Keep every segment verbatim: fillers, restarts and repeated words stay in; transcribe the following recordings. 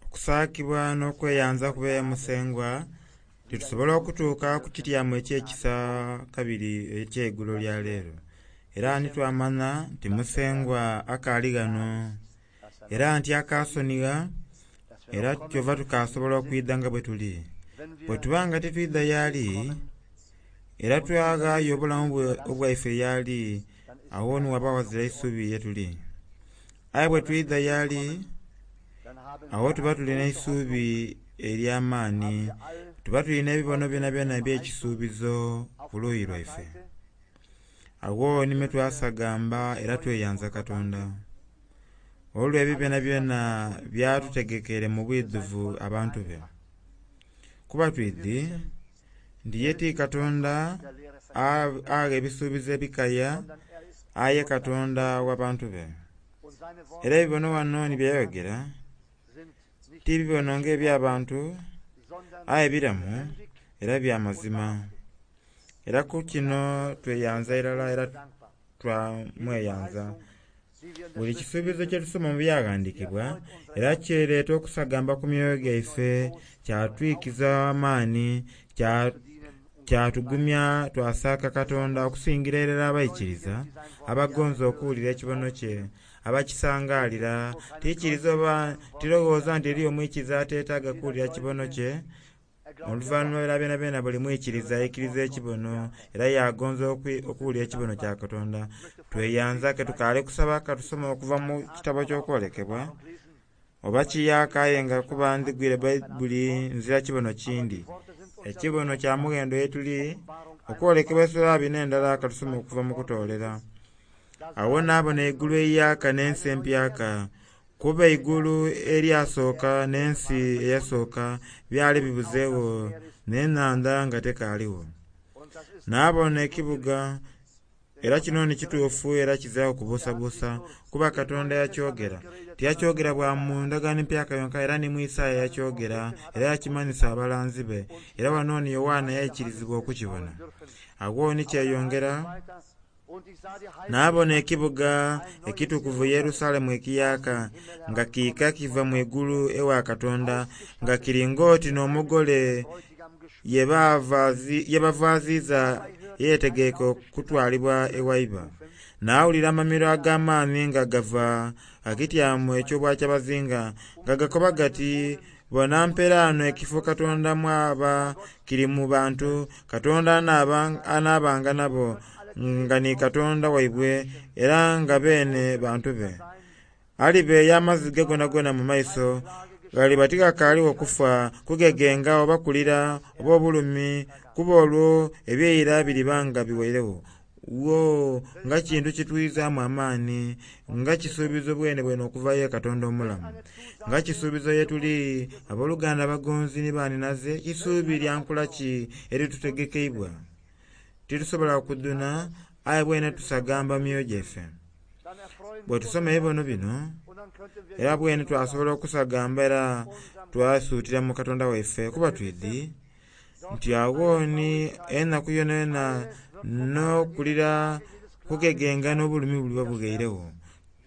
Okusaakibwa n'okweyanza kube Musengwa titusobola okutuuka ku kityamo eky'ekisa kabiri eky'eigulo lya leero. Era nitwamanya nti Musengwa akaali ghano era nti akaasonigha era kyova tukasobola okwidha nga bwe tuli. Bwe tuba nga titwidha y'ali era twaghaayo obulamu obwaife y'ali, awo ni waba ghazira isubi ye tuli. Aye bwe twidha y'ali, awo tuba tulina eisubi ery'amaani, tuba tulina ebibono byonabyona eby'ekisuubizo ku luuyi lwaife. Awo nimwe twasagamba era tweyanza Katonda olw'ebyo byonabyona byatutegekere mu bwidhuvu abantu be. Kuba twidhi nti ye ti Katonda agha ebisuubizo ebikaya, aye Katonda w'abantu be. Era ebibono wano ni byayogera ti bibono ng'eby'abantu, aye biramu era bya mazima. Era ku kino tweyanza irala era twamweyanza. Buli kisuubizo kye tusoma mu byaghandiikibwa era kireeta okusagamba ku myoyo gyaife, kyatwikiza amaani, kyatugumya twasaaka Katonda okusingira irala abaikiriza abagonza okuwulira ekibono kye, abakisangaalira. Tikiriza oba tirowooza nti eriyo omwikiriza ateetaaga kuwulira kibono kye. Oluvannyuma era byenabyenna buli mwikiriza aikiriza ekibono era yagonza okuwulira ekibono kya Katonda. Tweyanza ke tukaali kusaba katusome okuva mu kitabo ky'okwolekebwa oba kiyaaka aye nga kuba nzigwire Baibuli nzira kibono kindi. Ekibono kya mughendo ye tuli okwolekebwa esula abiri n'endala katusome okuva mu kutoolera. Awo naabona eigulu eiyaaka n'ensi empyaka, kuba eigulu eryasooka n'ensi eyasooka byali bibuzeegho n'enhandha nga tekaaligho. Naabona ekibuga era kino ni kituufu era kiziraku kubuusabuusa kuba Katonda yakyogera. Tiyakyogera bwa mu ndagaano empyaka yonka era ni mu Isaaya yakyogera era yakimanhisa abalanzi be. Era wano ni Yoanna yaikirizibwa okukibona. Agho ni kyeyongera, naabona ekibuga ekitukuvu Yerusalemu ekiyaaka nga kiika kiva mu igulu ewa Katonda, nga kiri ng'oti n'omugole ye bavaaziiza eyeetegeike okutwalibwa ewaiba. Naawulira amamiro ag'amaani nga gava gha kityamo eky'obwakyabazinga nga gakoba gati, Bona mperaano ekifo Katonda mw'aba kiri mu bantu, Katonda anaabanga nabo nga ni Katonda waibwe era nga beene bantu be. Alibeeya amaziga goonagoona mu maiso, ghaliba tighakaaligho kufa, kugegenga oba kulira oba obulumi, kuba olwo eby'eira biriba nga biwoiregho. Wo, nga kintu kitwizaamu amaani, nga kisuubizo bwenebwene okuva ye Katonda omulamu. Nga kisuubizo ye tuli abooluganda abagonzi ni banhinaze, isuubi lya nkula ki eritutegekeibwa? Titusobola kudhuna, aye bwene tusagamba mu myoyo gyaife. Bwe tusoma ebibono bino, era bwene twasobola okusagamba era twasuutira mu Katonda waife, kuba twidhi nti agho ni enaku yonayona n'okulira kugegenga n'obulumi buliba bughairegho.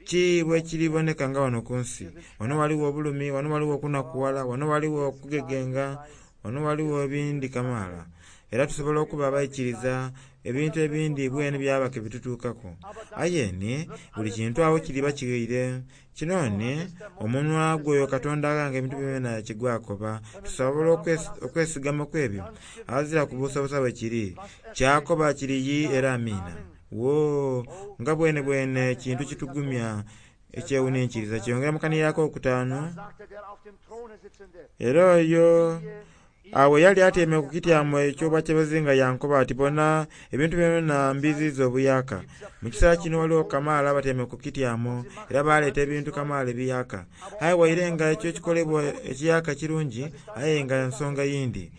Ki bwe kiriboneka nga wano ku nsi? Wano ghaligho obulumi, wano ghaligho okunakughala, wano ghaligho okugegenga, wano ghaligho ebindi kamaala. Era tusobola okuba abaikiriza ebintu ebindi bwene byaba ke bitutuukaku. Aye ni buli kintu agho kiriba kighaire. Kino ni omunwa gw'oyo Katonda Aghanga Ebintu Byonabyona kye gwakoba. Tusobola okwesigama ku ebyo aghazira kubuusabuusa bwe kiri. Ky'akoba kiri yii era amiina. Woo, nga bwenebwene kintu kitugumya ekyewuninkiriza! Kyeyongera mu kanhiriro akokutaanu. Era oyo agho yali atyaime ku kityamo eky'obwakyabazinga yankoba ati, Bona, ebintu byonabyona mbiiziiza obuyaaka. Mu kiseera kino ghaligho kamaala abatyaime ku kityamo era baaleeta ebintu kamaala ebiyaaka. Aye waire nga ekyo ekikolebwa ekiyaaka kirungi, aye nga nsonga yindi.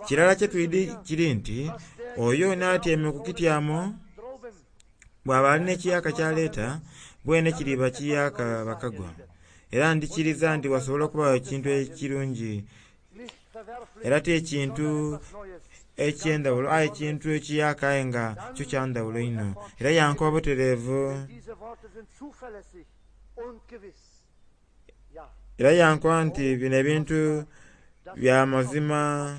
Kirala kye twidhi kiri nti oyo n'atyaime ku kityamo bw'aba ali n'ekiyaaka ky'aleeta, bwene kiriba kiyaaka bakagwa. Era ndhikiriza nti wasobola okubagho ekintu ekirungi era ti ekintu eky'endhaghulo aye ekintu ekiyaaka aye nga kyo kya ndhaghulo inho. Era yankoba butereevu. Era yankoba nti bino ebintu bya mazima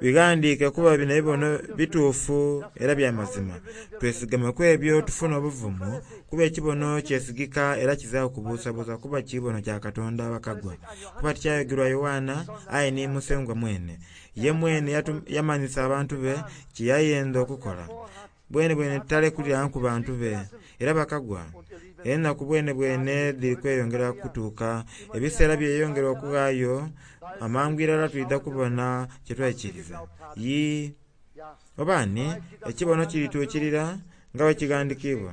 bighandiike kuba bino ebibono bituufu era bya mazima. Twesigame ku ebyo tufune obuvumu kuba ekibono kyesigika era kizira kubuusabuusa kuba kibono kya Katonda bakagwa. Kuba tikyayogerwa Yoanna aye ni Musengwa mwene. Ye mwene yamanyisa abantu be kye yayenda okukola. Bwene bwene talekulira ku bantu be era bakagwa. Enaku bwene bwene dhiri kweyongera kutuuka, ebiseera byeyongera okughaayo, amangu irala twidha kubona kye twaikiriza. Yii oba ni ekibono kirituukirira nga bwe kighandikiibwa.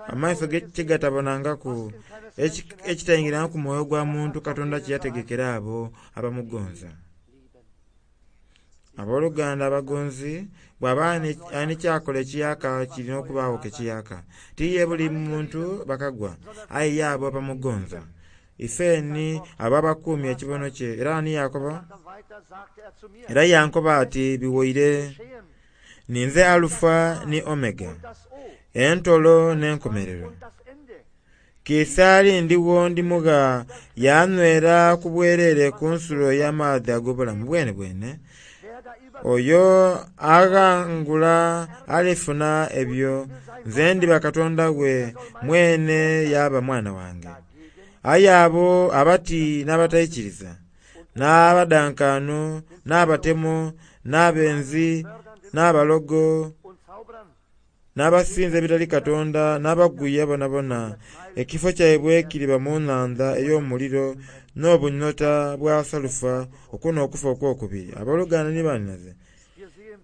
Amaiso kye gatabonangaku, ekitaingirangaku mwoyo gwa muntu Katonda kye yategekera abo abamugonza. Abooluganda abagonzi bw'aba ani kyakola ekiyaka kirina okubaagho ke kiyaka. Tiye buli muntu bakagwa, aye ye abo abamugonza. Ifeni abo abakuumye ekibono kye. Era ani yakoba? Era yankoba ati biwoire. Ninze Alufa ni Omega, entolo n'enkomerero. Kiisaali ndigho ndimugha yanywera ku bwerere ku nsulo ey'amaadhi ag'obulamu bwene bwene. Oyo aghangula alifuna ebyo, nze ndiba Katonda we, mwene yaba mwana wange. Aye abo abati n'abataikiriza, n'abadankaanu, n'abatemo, n'abenzi, n'abalogo, n'abasinza ebitali Katonda, n'abaguya bonabona, ekifo kyaibwe kiriba mu nhandha ey'omuliro n'obunyota bwa salufa, okwo n'okufa okwokubiri. Abooluganda ni baninaze,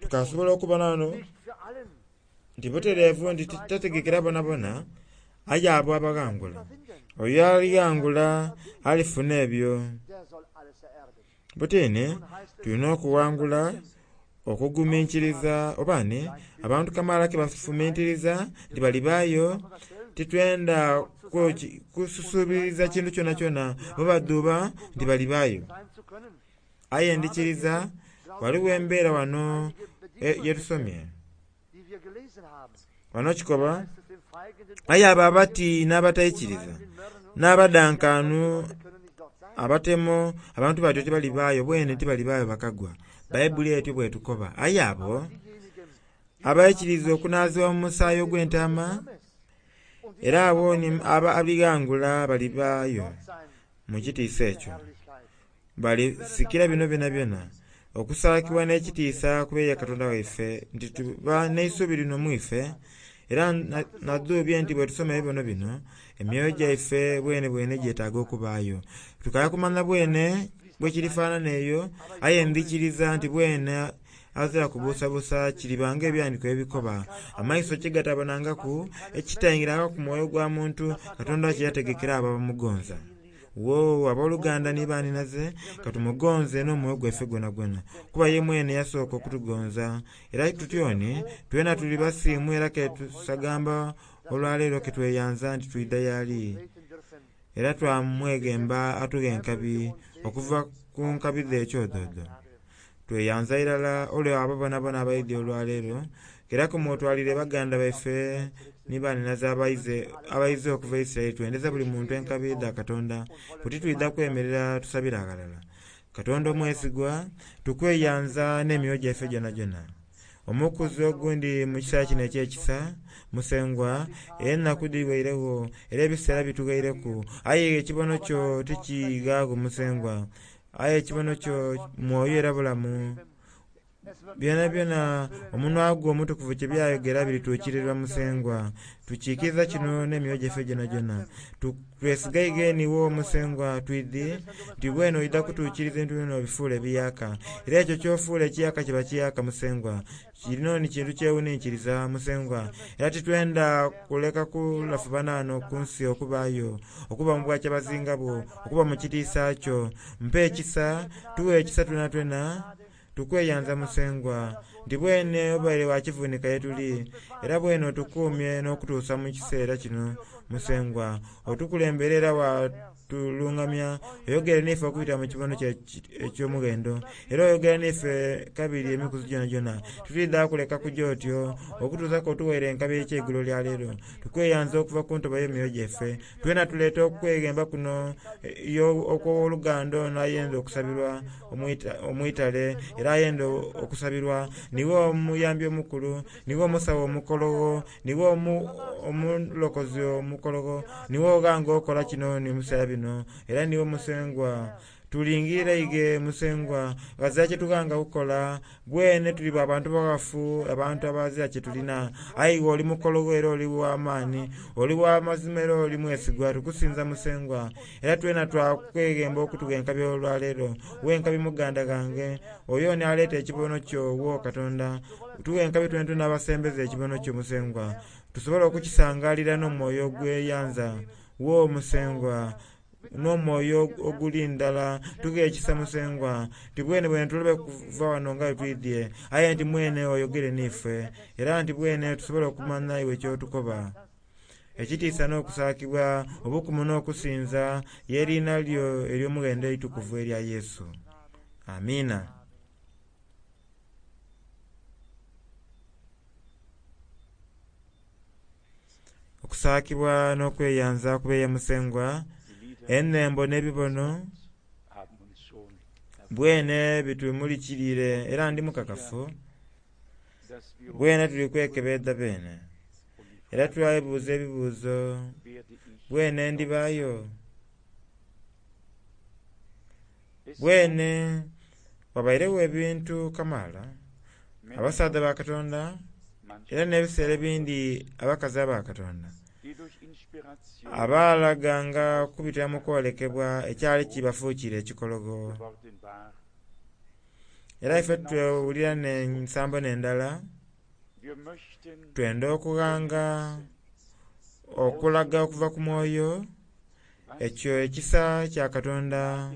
tukasobola okubona wano nti butereevu nti tategekera bonabona, aye abo abaghangula. Oyo alighangula alifuna ebyo. Butini tulina okuwangula okuguminkiriza oba ni abantu kamaala ke bafumintiriza nti balibaayo titwenda kususuubiriza kintu kyonakyona bo badhuuba nti balibaayo. Aye ndikiriza waliwo embeera wano yetusomye. Wano kikoba aye abo abati n'abataikiriza n'abadankaanu abatemo abantu batyo tibalibaayo bwene tibalibaayo bakagwa. Bayibuli etyo bwetukoba. Aye abo abaikiriza okunaazibwa mu musaayi ogw'entaama era abo ababighangula balibaayo mu kitiisa ekyo. Balisikira bino byonabyona okusaakibwa n'ekitiisa kuba Katonda waife nti tuba n'eisuubi lino mu ife era nadhuubye nti bwe tusoma ebibono bino emyoyo gyaife bwene bwene gyetaaga okubaayo. Tukaya kumanya bwene bwekirifaanana eyo aye ndikiriza nti bwene azira kubuusabuusa kiribanga ebyandiiko ebikoba. Amaiso kye gatabonangaku ekitaingiranga ku mwoyo gwa muntu Katonda kye yategekera abo abamugonza. Wo abooluganda ni baninaze katumugonze n'omwoyo gwaife gwonagwona kuba ye mwene yasooka okutugonza. Era tutyoni twena tuli basiimu era ketusagamba olwaleero ketweyanza nti twidha yali. Era twamweghemba atughe enkabi okuva ku nkabi dh'ekyododo. Tweyanza irala olwo abo bonabona abaidhi olwaleero era kumwotwalire baganda baife ni baninaze abaize okuva e Isiraeli twendeza buli muntu enkabi dha Katonda buti twidha kwemerera tusabire aghalala. Katonda omwesigwa tukweyanza n'emyoyo gyaife gyonagyona. Omukuzi ogundi mu kiseera kino eky'ekisa Musengwa enaku dhiweiregho era ebiseera bitughaireku aye ekibono kyo tikighaago Musengwa. Aye ekibono kyo mwoyo era bulamu. Byona byona omunwa gwo omutukuvu kye byayogera birituukirirwa Musengwa. Tukiikiriza kino n'emyoyo gyaife gyonagyona. Twesigaighe niwo Musengwa twidhi nti bwene oidha kutuukiriza ebintu byona obifuule ebiyaka. Era ekyo ky'ofuula ekiyaka kiba kiyaka Musengwa. Kino ni kintu kyewuninkiriza Musengwa. Era titwenda kuleka kulafubana wano ku nsi okubaayo, okuba mu bwakyabazinga bwo, okuba mu kitiisa kyo. Mpa ekisa, tuwe ekisa twenatwena, tukweyanza Musengwa. Nti bwene obaire wa kivunika ye tuli, era bwene otukuumye n'okutuusa mu kiseera kino Musengwa. Otukulembere era watulungamya, oyogere n'ife okubitira mu kibono kyo eky'omughendo, era oyogere n'ife kabiri emikuzi gyonagyona. Titwidha kuleka kuja otyo okutuusa k'otuwaire enkabi ey'ekyeigulo lya leero. Tukweyanza okuva ku ntobo y'emyoyo gyaife. Twena tuleeta okweghemba kuno okw'owoluganda ono ayenda okusabirwa omwitale era ayenda okusabirwa. Niwe omuyambi omukulu, niwe omusawo omukologho, niwe omulokozi omukologho, niwe oghanga okola kino ni mu biseera bino, era niwe Musengwa. Tulingirira ighe Musengwa, ghazira kyetughanga kukola. Bwene tuli bantu baghafu, abantu abazira kyetulina. Aye iwe oli mukologho era oli w'amaani, oli w'amazima era oli mwesigwa. Tukusinza Musengwa, era twena twakweghemba okutugha enkabi olwaleero. Wenkabi muganda ghange, oyo ni aleeta ekibono kyo wo Katonda. Tughe enkabi twena n'abasembeza ekibono kyo Musengwa, tusobole okukisangalira n'omwoyo ogweyanza wo Musengwa, n'omwoyo oguli ndala. Tughe ekisa Musengwa, nti bwene bwene tulobe kuva wano nga bwe twidhye, aye nti mwene oyogere n'ife, era nti bwene tusobole okumanya iwe ky'otukoba. Ekitiisa n'okusaakibwa, obukumu n'okusinza, y'eriina lyo ery'omughendo eitukuvu erya Yesu. Amiina. Okusaakibwa n'okweyanza kubeeye Musengwa, enhembo n'ebibono bwene bitumulikiriire era ndi mukakafu bwene tuli kwekebedha bene era twebuuza ebibuuzo bwene ndibaayo bwene wabairegho ebintu kamaala abasaadha ba Katonda era n'ebiseera ebindi abakazi aba Katonda abalaganga okubitira mu kwolekebwa ekyali kibafuukire ekikologo. Era ife twewulira n'ensambo n'endala, twenda okughanga okulaga okuva ku mwoyo ekyo ekisa kya Katonda,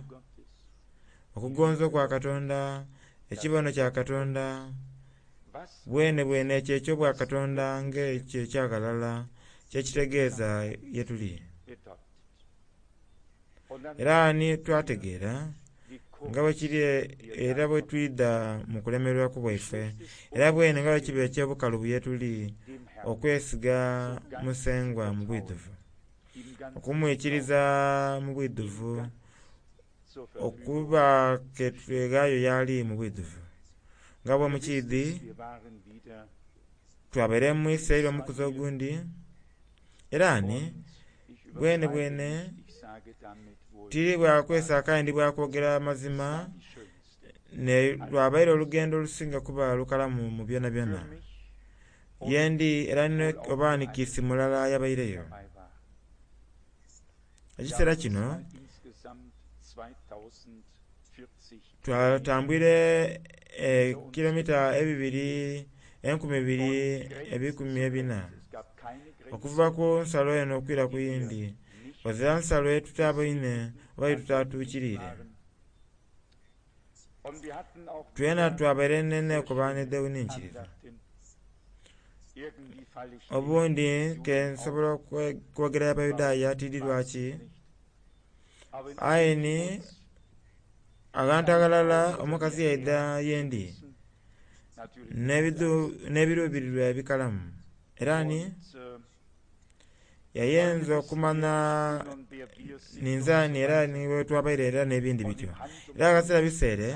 okugonza okwa Katonda, ekibono kya Katonda, bwene bwene ekyo eky'obwa Katonda ng'ekyo ekyaghalala kyekitegeeza ye tuli. Era ni twategeera nga bwe kiri era bwe twidha mu kulemererwaku bwaife, era bwene nga bwe kiba eky'obukalubu ye tuli okwesiga Musengwa mu bwidhuvu, okumwikiriza mu bwidhuvu, okuba ke tweghaayo y'ali mu bwidhuvu. Nga bwe mukiidhi, twabaire mu Isiraeli omukuzi ogundi, era ni bwene bwene tiri bwa kwesaaka aye ndi bwa kwogera mazima, ne lwabaire olugendo olusinga kuba lukalamu mu byonabyona. Yendi era oba ni kiisi mulala yabaireyo. Ekiseera kino twatambwire ekilomita ebibiri enkumi ibiri ebikumi ebina okuva ku nsalo eno okwira ku yindi. Ghazira nsalo yetutaboine oba yetutatuukiriire. Twena twabaire n'enkobaano edhewuninkirivu. Obundi ke nsobola okwogera Abayudaaya tidi lwaki, aye ni aghantu aghalala omukazi yaidha yendi n'ebiruubirirwa ebikalamu, era ni yayenza okumanya ninze ani era ni bwetwabaire era n'ebindi bityo. Era aghazira biseere,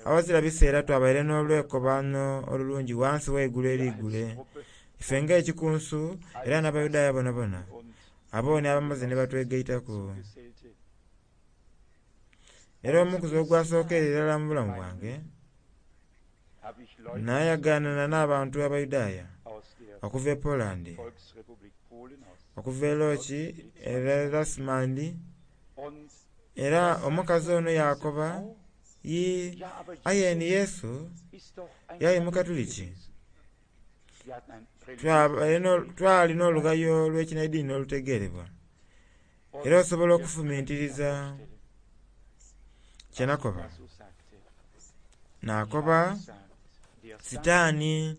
aghazira biseera twabaire n'olwekobaano olulungi ghansi w'eigulu erigule. Ife ng'ekikunsu era n'Abayudaaya bonabona, abo ni abamaze ni batwegaitaku. Era omukuzi ogwasookera irala mu bulamu bwange, nayagaanana n'abantu Abayudaaya okuva e Poland, okuva e Lodz, e Lasmand, era omukazi ono yakoba, yii aye ni Yesu yali Mukatuliki. Twali n'olughayo olw'ekinaidiini olutegeerebwa, era osobola okufumintiriza kye nakoba. Nakoba Sitaani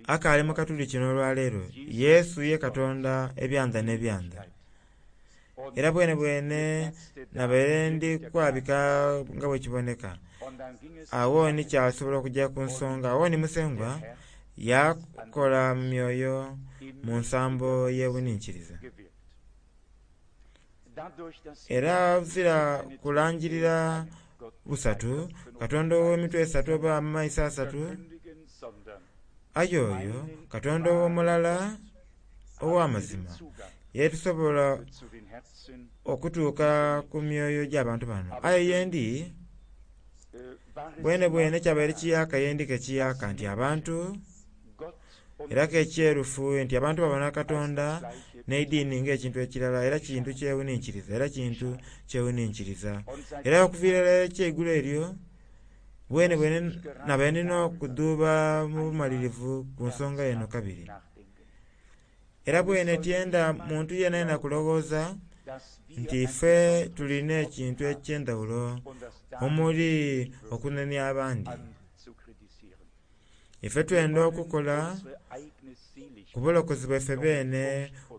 akaali mu Katuliki n'olwaleero. Yesu ye Katonda ebyanda n'ebyanda. Era bwene bwene nabaire ndi kwabika nga bwe kiboneka. Awo ni kyasobola okujja ku nsonga. Awo ni Musengwa yakola mu myoyo mu nsambo y'ewuninkiriza. Era zira kulangirira busatu, Katonda ow'emitwe esatu oba amaiso asatu, aye oyo Katonda omulala ow'amazima yetusobola okutuuka ku myoyo gy'abantu bano. Aye yendi bwene bwene kyabaire kiyaka yendi ke kiyaka nti abantu era ke kyerufu nti abantu babona Katonda n'eidiini ng'ekintu ekirala, era kintu kyewuninkiriza, era kintu kyewuninkiriza. Era okuviira irala ekyeigulo eryo bwene bwene nabaire nina okudhuuba mu bumalirivu ku nsonga eno kabiri. Era bwene tyenda muntu yenayena kulowooza nti ife tulina ekintu eky'endhawulo omuli okunenia abandi. Ife twenda okukola ku bulokozi bwaife beene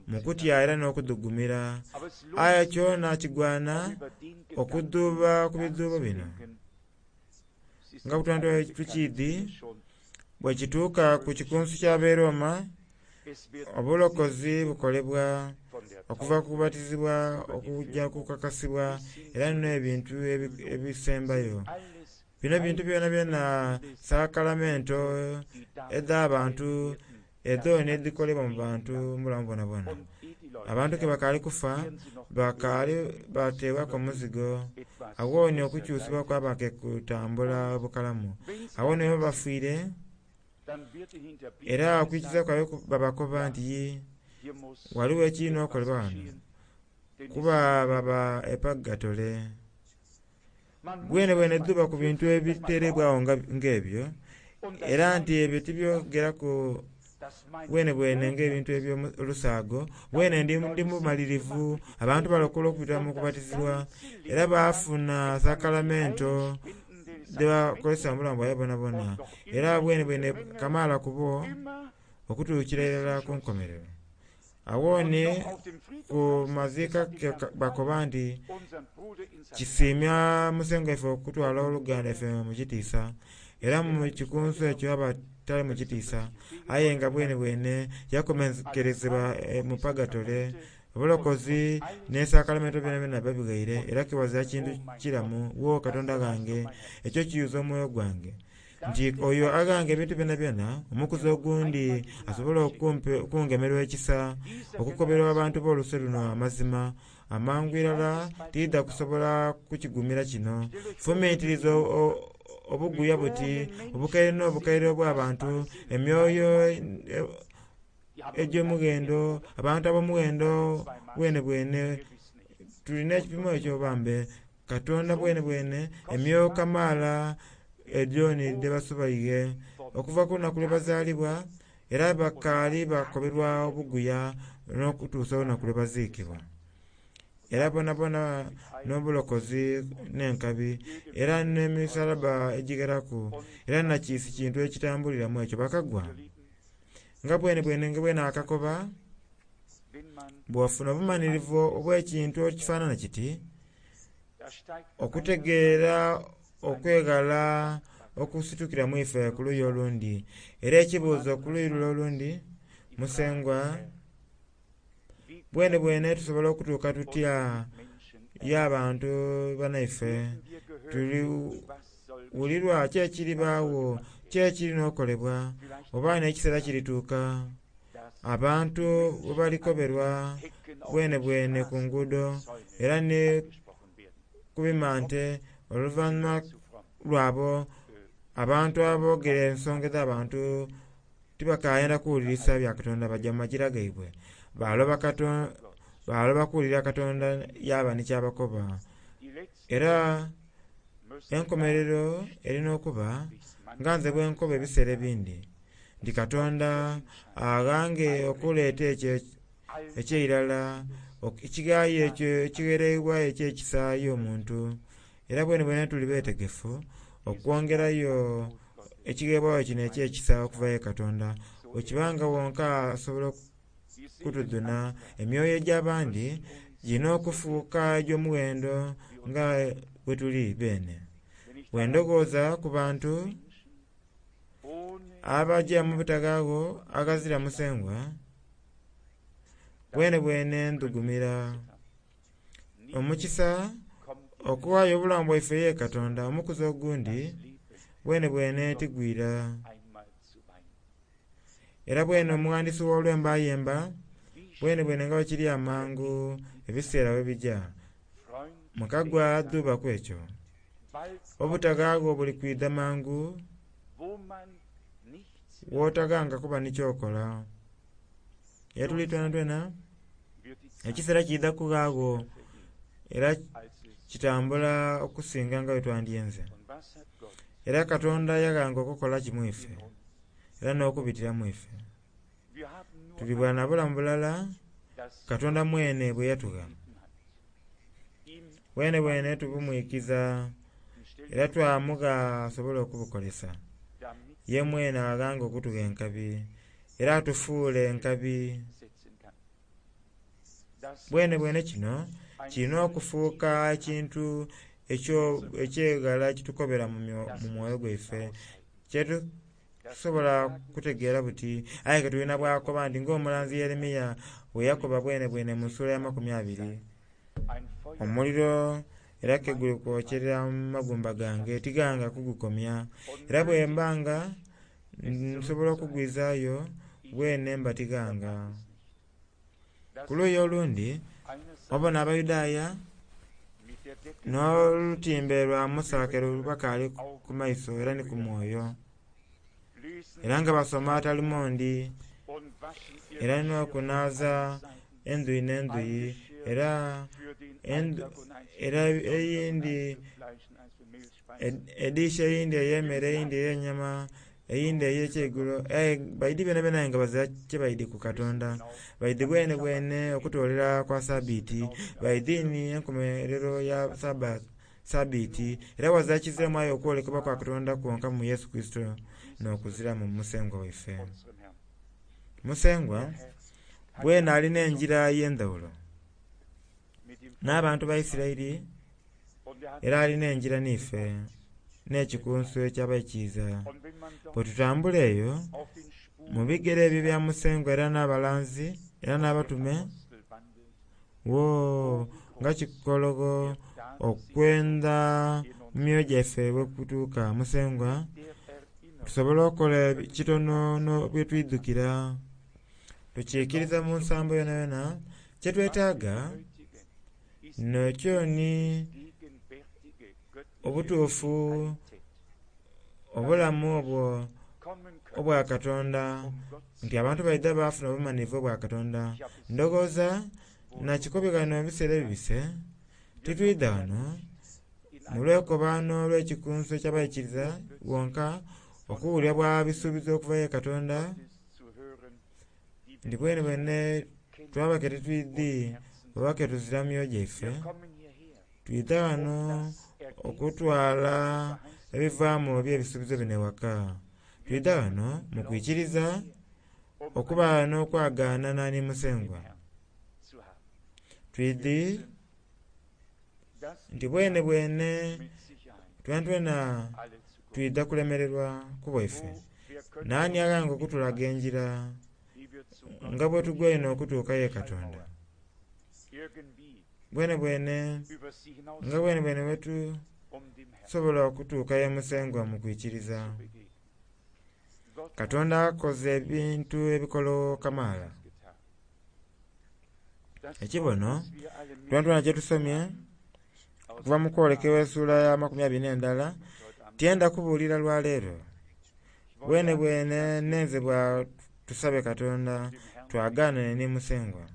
mu kutya era n'okudhugumira, aye kyona kigwana okudhuuba ku bidhuubo bino. Nga bwe tukiidhi, bwe kituuka ku kikunsu ky'ab'e Roma, obulokozi bukolebwa okuva ku kubatizibwa okujja kukakasibwa era n'ebintu ebisembayo. Bino bintu byonabyona sakalamento edh'abantu edho n'edhikolebwa mu bantu mu bulamu bwonabwona. Abantu ke bakaali kufa bakaali bateebwaku omuzigo, awo ni okukyusibwa kwaba ke kutambula bukalamu. Awo ni bwebaba bafiire era okwikiriza kwaibwe babakoba nti ghaligho ekirina okolebwa ghano, kuba baba e Pagatole. Bwene bwene dhuuba ku bintu ebiteereibwagho ng'ebyo, era nti ebyo tibyogeraku bwene bwene ng'ebintu eby'olusaago. Bwene ndi mumalirivu, abantu balokolwa okubita mu kubatizibwa era baafuna sakalamento dhebakozesa mu bulamu bwaibwe bwonabwona. Era bwene bwene kamaala ku bo okutuukira irala ku nkomerero. Awo ni ku maziika bakoba nti kisiimya Musengwa ife okutwala oluganda ife mu kitiisa, era mu kikunsu ekyo abatali mu kitiisa, aye nga bwene bwene yakomenkerezebwa mu Pagatole. Obulokozi n'esakalamento byonabyona babighaire era kiwazira kintu kiramu. Wo Katonda ghange, ekyo kiyuza omwoyo gwange nti oyo aghanga ebintu byonabyona, omukuzi ogundi asobola okungemerwa ekisa okukobera abantu b'oluse luno amazima amangu irala tiidha kusobola kukigumira kino. Fumintiriza obuguya buti obukaire n'obukaire obw'abantu, emyoyo egy'omughendo, abantu ab'omughendo bwene bwene tulina ekipimo ekyo bambe Katonda bwene bwene emyoyo kamaala edyo ni dhebasobaighe okuva ku lunaku lwe bazaalibwa, era bakaali bakoberwa obuguya n'okutuusa olunaku lwe baziikibwa. Era bonabona n'obulokozi n'enkabi, era n'emisalaba egigheraku, era nakiisi kintu ekitambuliramu ekyo bakagwa. Nga bwene bwene nga bwe naakakoba, bw'ofuna obumanhirivu obw'ekintu ekifaanana kiti, okutegeera okweghala okusitukiramu ife ku luuyi olundi. Era ekibuuzo ku luuyi lule olundi, Musengwa, bwene bwene tusobola okutuuka tutya y'abantu banaife? Tuliwulirwa ki ekiribaagho, ki ekirina okolebwa, oba n'ekiseera kirituuka abantu bwe balikoberwa bwene bwene ku nguudo era ni ku bimante oluvannyuma lwabo abantu aboogera ensonga edh'abantu tibakayenda kuwulirisa bya Katonda, baja mu magira gaibwe baloba kuwulira Katonda yaba ni ky'abakoba. Era enkomerero erina okuba nga nze bwe nkoba ebiseera ebindi nti Katonda aghange okuleeta ekyo eky'eirala, ekighayo ekyo ekighereibwayo eky'ekisa y'omuntu. Era bwenebwene tuli beetegefu okwongerayo Ekigheebwayo kino eky'ekisa okuva ye Katonda bwekibanga wonka asobola okutudhuna, emyoyo egy'abandi girina okufuuka egy'omughendo nga bwe tuli beene. Bwe ndowooza ku bantu abaja mu butagaagho aghazira Musengwa, bwenebwene ndhugumira. Omukisa okughaayo obulamu bwaife ye Katonda omukuzi ogundi bwenebwene tigwira. Era bwene omughandisi ow'olwembo ayemba bwenebwene nga bwekiri amangu ebiseera bwe bija. Mukagwa dhubaku ekyo. Obutagaagho buli kwidha mangu wotaghanga kuba ni kyokola. Yetuli twenatwena ekiseera kiidha kughagho era kitambula okusinga nga bwe twandyenze. Era Katonda yaghanga okukola ki mu ife era n'okubitira mu ife. Tuli bwa na bulamu bulala Katonda mwene bwe yatugha. Bwenebwene tubumwikiza era twamugha asobole okubukozesa. Ye mwene aghanga okutugha enkabi era atufuule enkabi. Bwenebwene kino kirina okufuuka ekintu eky'eghala ekitukobera mu mwoyo gwaife kyetusobola kutegeera buti. Aye ke tulina bwakoba nti ng'omulanzi Yeremiya bwe yakoba bwenebwene mu ssuula ya makumi abiri, omuliro era ke guli kwokyerera mu magumba gange tighanga kugukomya, era bwe mba nga nsobola okugwizaayo bwene mba tighanga. Ku luuyi olundi obona Abayudaaya n'olutimbe lwa Musa ke lubakaali ku maiso era ni ku mwoyo, era nga basoma Talumodi era n'okunaaza endhuyi n'endhuyi, era era eyindi edishi eyindi ey'emmere eyindi ey'enyama eyindi ey'ekyeigulo, aye baidhi byonabyona aye nga bazira kyebaidhi ku Katonda. Baidhi bwenebwene okutoolera kwa Sabiti, baidhi ni enkomerero ya Sabiti, era ghazira kiziramu aye okwolekebwa kwa Katonda kwonka mu Yesu Kurisito n'okuziramu mu Musengwa waife. Musengwa bwene alina engira ey'endhaghulo n'abantu ba Isiraeli, era alina engira n'ife n'ekikunsu eky'abaikiriza. Bwe tutambula eyo mu bigere ebyo ebya Musengwa era n'abalanzi era n'abatume, woo nga kikologho okwenda mu myoyo gyaife bwe kutuuka. Musengwa tusobola okukola kitono bye twidhukira, tukiikiriza mu nsambo yonayona. Kyetwetaaga nekyo ni obutuufu, obulamu obwo obwa Katonda, nti abantu baidha baafuna obumanhirivu obwa Katonda. Ndowooza nakikobye ghano ebiseera ebibise, titwidha ghano mu lwekobaano olw'ekikunsu eky'abaikiriza wonka okuwulira bwa bisuubizo okuva ye Katonda, nti bwenebwene twaba ke titwidhi oba ke tuzira mu myoyo gyaife. Twidha ghano okutwala ebivaamu eby'ebisuubizo bino ewaka. Twidha ghano mu kwikiriza okuba n'okwagaanana ni Musengwa. Twidhi nti bwenebwene twenatwena twidha kulemererwa ku bwaife. Naani aghanga okutulaga engira nga bwe tugwaine okutuuka ye Katonda? Bwenebwene nga bwenebwene bwe tusobola okutuuka ye Musengwa mu kwikiriza. Katonda akoze ebintu ebikologho kamaala. Ekibono twenatwena kyetusomye okuva mu kwolekebwa essuula ya makumi abiri n'endala, tyenda kubuulira lwaleero. Bwenebwene nenze bwa tusabe Katonda twagaanane ni Musengwa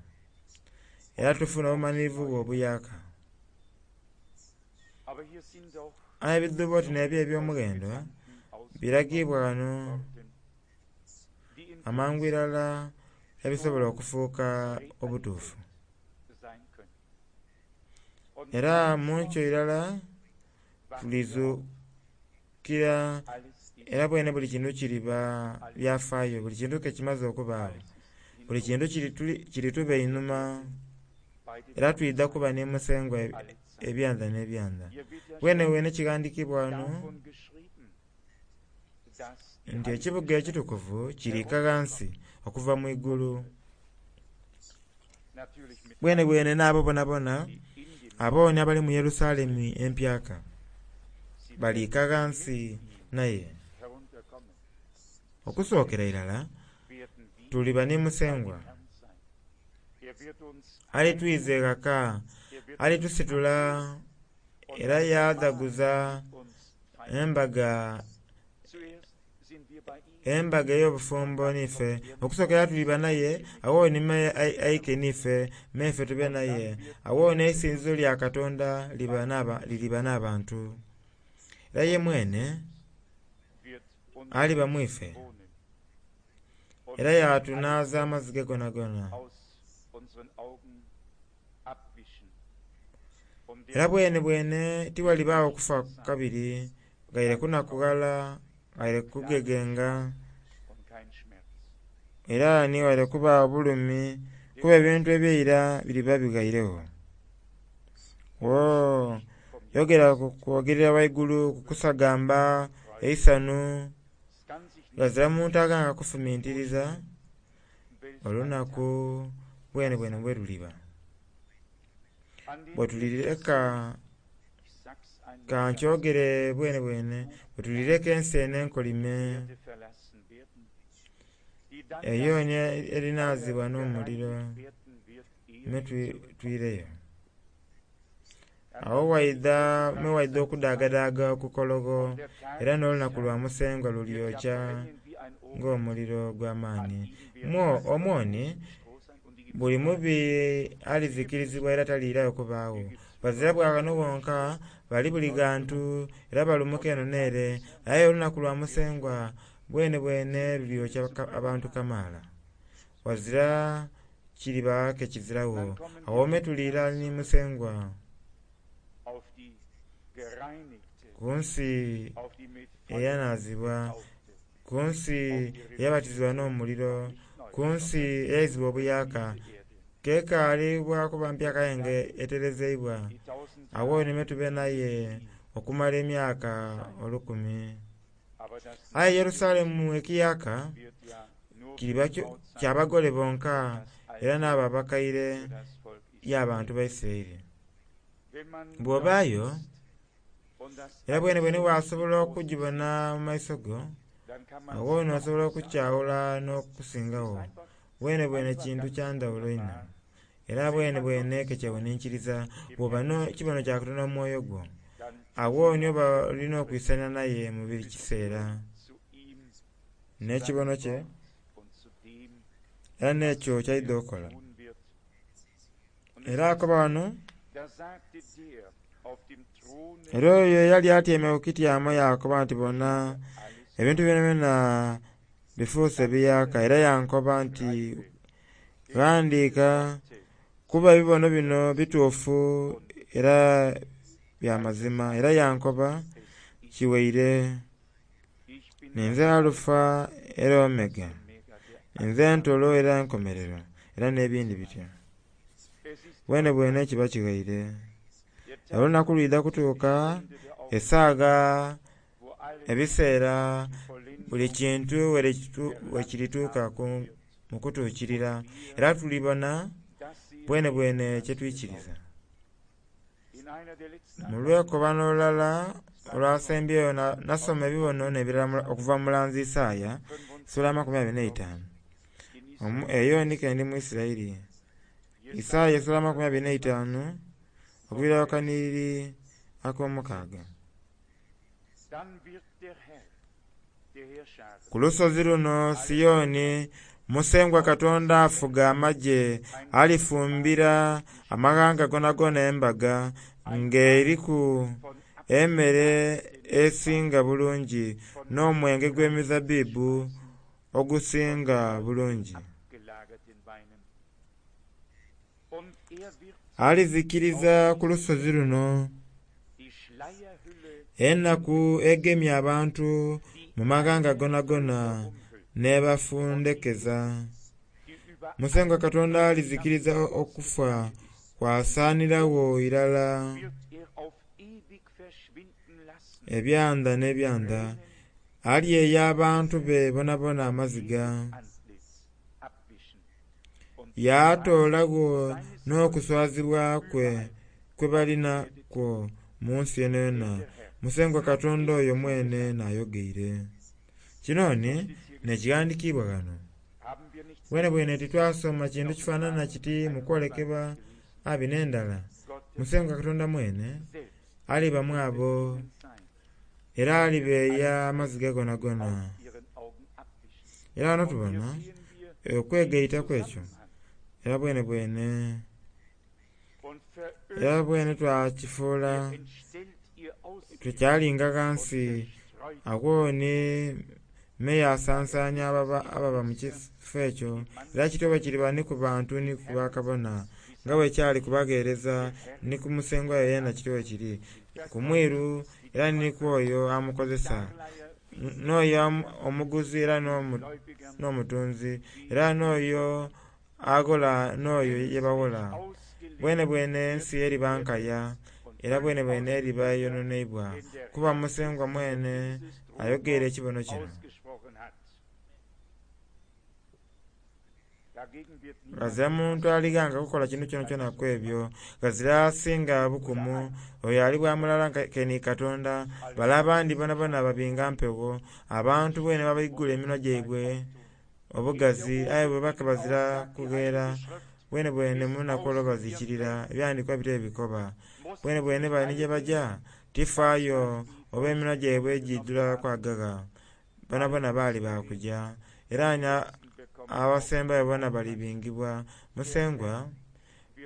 era tufune obumanhirivu bwe obuyaaka. Aye ebidhuubo oti n'ebyo eby'omughendo biragiibwa ghano amangu irala ebisobola okufuuka obutuufu. Era mu nkyo irala tulizukira Era bwene buli kintu kiriba byafaayo, buli kintu ke kimaze okubaagho, buli kintu kirituba einhuma, era twidha kuba ni Musengwa ebyanda n'ebyanda. Bwenebwene kighandhikiibwa ghano nti ekibuga ekitukuvu kiriika ghansi okuva mu igulu. Bwenebwene n'abo bonabona abooni abali mu Yerusalemu empyaka baliika ghansi naye. Okusookera irala tuliba ni Musengwa, alitwiza eghaka, alitusitula era yaadhaguza embaga embaga ey'obufumbo n'ife. Okusookera tuliba naye, agho ni me aike n'ife, me ife tube naye. Agho n'eisinzizo lya Katonda liriba n'abantu. Era ye mwene aliba mu ife, era yatunaaza amaziga gonagona. Era bwenebwene tighalibaagho kufa kabiri, ghaire kunakughala, ghaire kugegenga, era ni ghaire kubaagho bulumi kuba ebintu eby'eira biriba bighairegho. Woo! Yogera ku kwogerera ghaigulu, ku kusagamba, eisanhu, ghazira muntu aghanga kufumintiriza olunaku bwenebwene bwe luliba. Bwe tulireka, ka nkyogere bwenebwene, bwe tulireka ensi eno enkolime eyo ni erinaazibwa n'omuliro me twireyo. Agho waidha me waidha okudaagadaaga okukologho era n'olunaku lwa Musengwa lulyokya ng'omuliro ogw'amaani. Omwo ni buli mubi alizikirizibwa era taliirayo kubaagho. Bazira bwa ghano ghonka, bali buli ghantu era balumuka eno n'ere. Aye olunaku lwa Musengwa bwenebwene lulyokya abantu kamaala. Ghazira kiriba ke kiziragho. Agho me tuliira ni Musengwa ku nsi eyanaazibwa, ku nsi eyabatizibwa n'omuliro, ku nsi eyaizibwa obuyaaka, k'ekaali bwa kuba mpyaka aye nga eterezeibwa. Agho ni me tube naye okumala emyaka olukumi. Aye Yerusalemu ekiyaaka kiriba kya bagole bonka era n'abo abakaire y'abantu ba Isiraeli. Bw'obaayo era bwenebwene wasobola okugibona mu maiso go, agho n'osobola okukyawula n'okusingagho. Bwenebwene kintu kya ndhawulo inho era bwenebwene ke kyewuninkiriza bw'oba n'ekibono kya Katonda mu mwoyo gwo. Agho ni oba oli n'okwisania naye mu buli kiseera n'ekibono kye era n'ekyo ky'aidha okola. Era akoba ghano, era oyo eyali atyaime ku kityamo yaakoba nti bona, ebintu byonabyona bifuuse biyaaka. Era yankoba nti ghandiika kuba ebibono bino bituufu era bya mazima. Era yankoba kiwaire, ninze Alufa era Omega, nze entolo era enkomerero, era n'ebindi bityo. Bwenebwene kiba kighaire. Olunaku lwidha kutuuka esaagha, ebiseera, buli kintu bwekirituuka mu kutuukirira era tulibona bwenebwene kyetwikiriza. Mu lwekobano olulala olwasembyeyo nasoma ebibono n'ebirala okuva mu mulanzi Isaaya esula amakumi abiri n'eitaanu. Eyo ni ke ndi mu Isiraeli. Isaaya esula amakumi abiri n'eitaanu okuviira ku kanhiriri ak'omukaaga. Ku lusozi luno Sioni, Musengwa Katonda Afuga Amagye alifumbira amaghanga goonagoona embaga, ng'eriku emere esinga bulungi n'omwenge gw'emizabbibu ogusinga bulungi. Alizikiriza ku lusozi luno Enaku egemye abantu mu maghanga goonagoona n'ebafundekeza. Musengwa Katonda alizikiriza okufa kwasaaniragho irala ebyanda n'ebyanda. Alyeya abantu be boonaboona amaziga, yaatoolagho n'okuswazibwa kwe bali nakwo mu nsi yoonayoona. Musengwa Katonda oyo mwene n'ayogeire. Kino ni, n'ekighandikiibwa ghano. Bwenebwene titwasoma kintu kifaanana kiti mu kwolekebwa abiri n'endala? Musengwa Katonda mwene aliba mu abo era alibeeya amaziga goonagoona. Era ghano tubona okwegaita kw'ekyo era bwenebwene era bwene twakifuula tukyalinga ghansi agho ni meya asansania ababa mu kifo ekyo era kityo bwe kiriba ni ku bantu ni ku bakabona nga bwe kyali ku bagheereza ni ku musengwa we yeena kityo bwe kiri ku mwiru era ni ku oyo amukozesa n'oyo omuguzi era n'omutunzi era n'oyo aghola n'oyo ye baghola. Bwenebwene ensi eriba nkaya era bwenebwene eriba eyononeibwa, kuba Musengwa mwene ayogeire ekibono kino. Ghazira muntu alighanga kukola kintu kyonakyona ku ebyo. Ghazira asinga bukumu, oyo ali bwa mulala ke ni Katonda. Bale abandi boonaboona babinga mpewo. Abantu bwene baigula eminwa gyaibwe obugazi aye bwe bazira kugheera, bwenebwene mu lunaku olwo bazikirira. Ebyandikwa bityo bwe bikoba. Bwenebwene bali ni ye baja tifaayo oba eminwa gyaibwe giidhula kwagagha, boonaboona baali ba kuja. Era ni abasembayo boona balibingibwa. Musengwa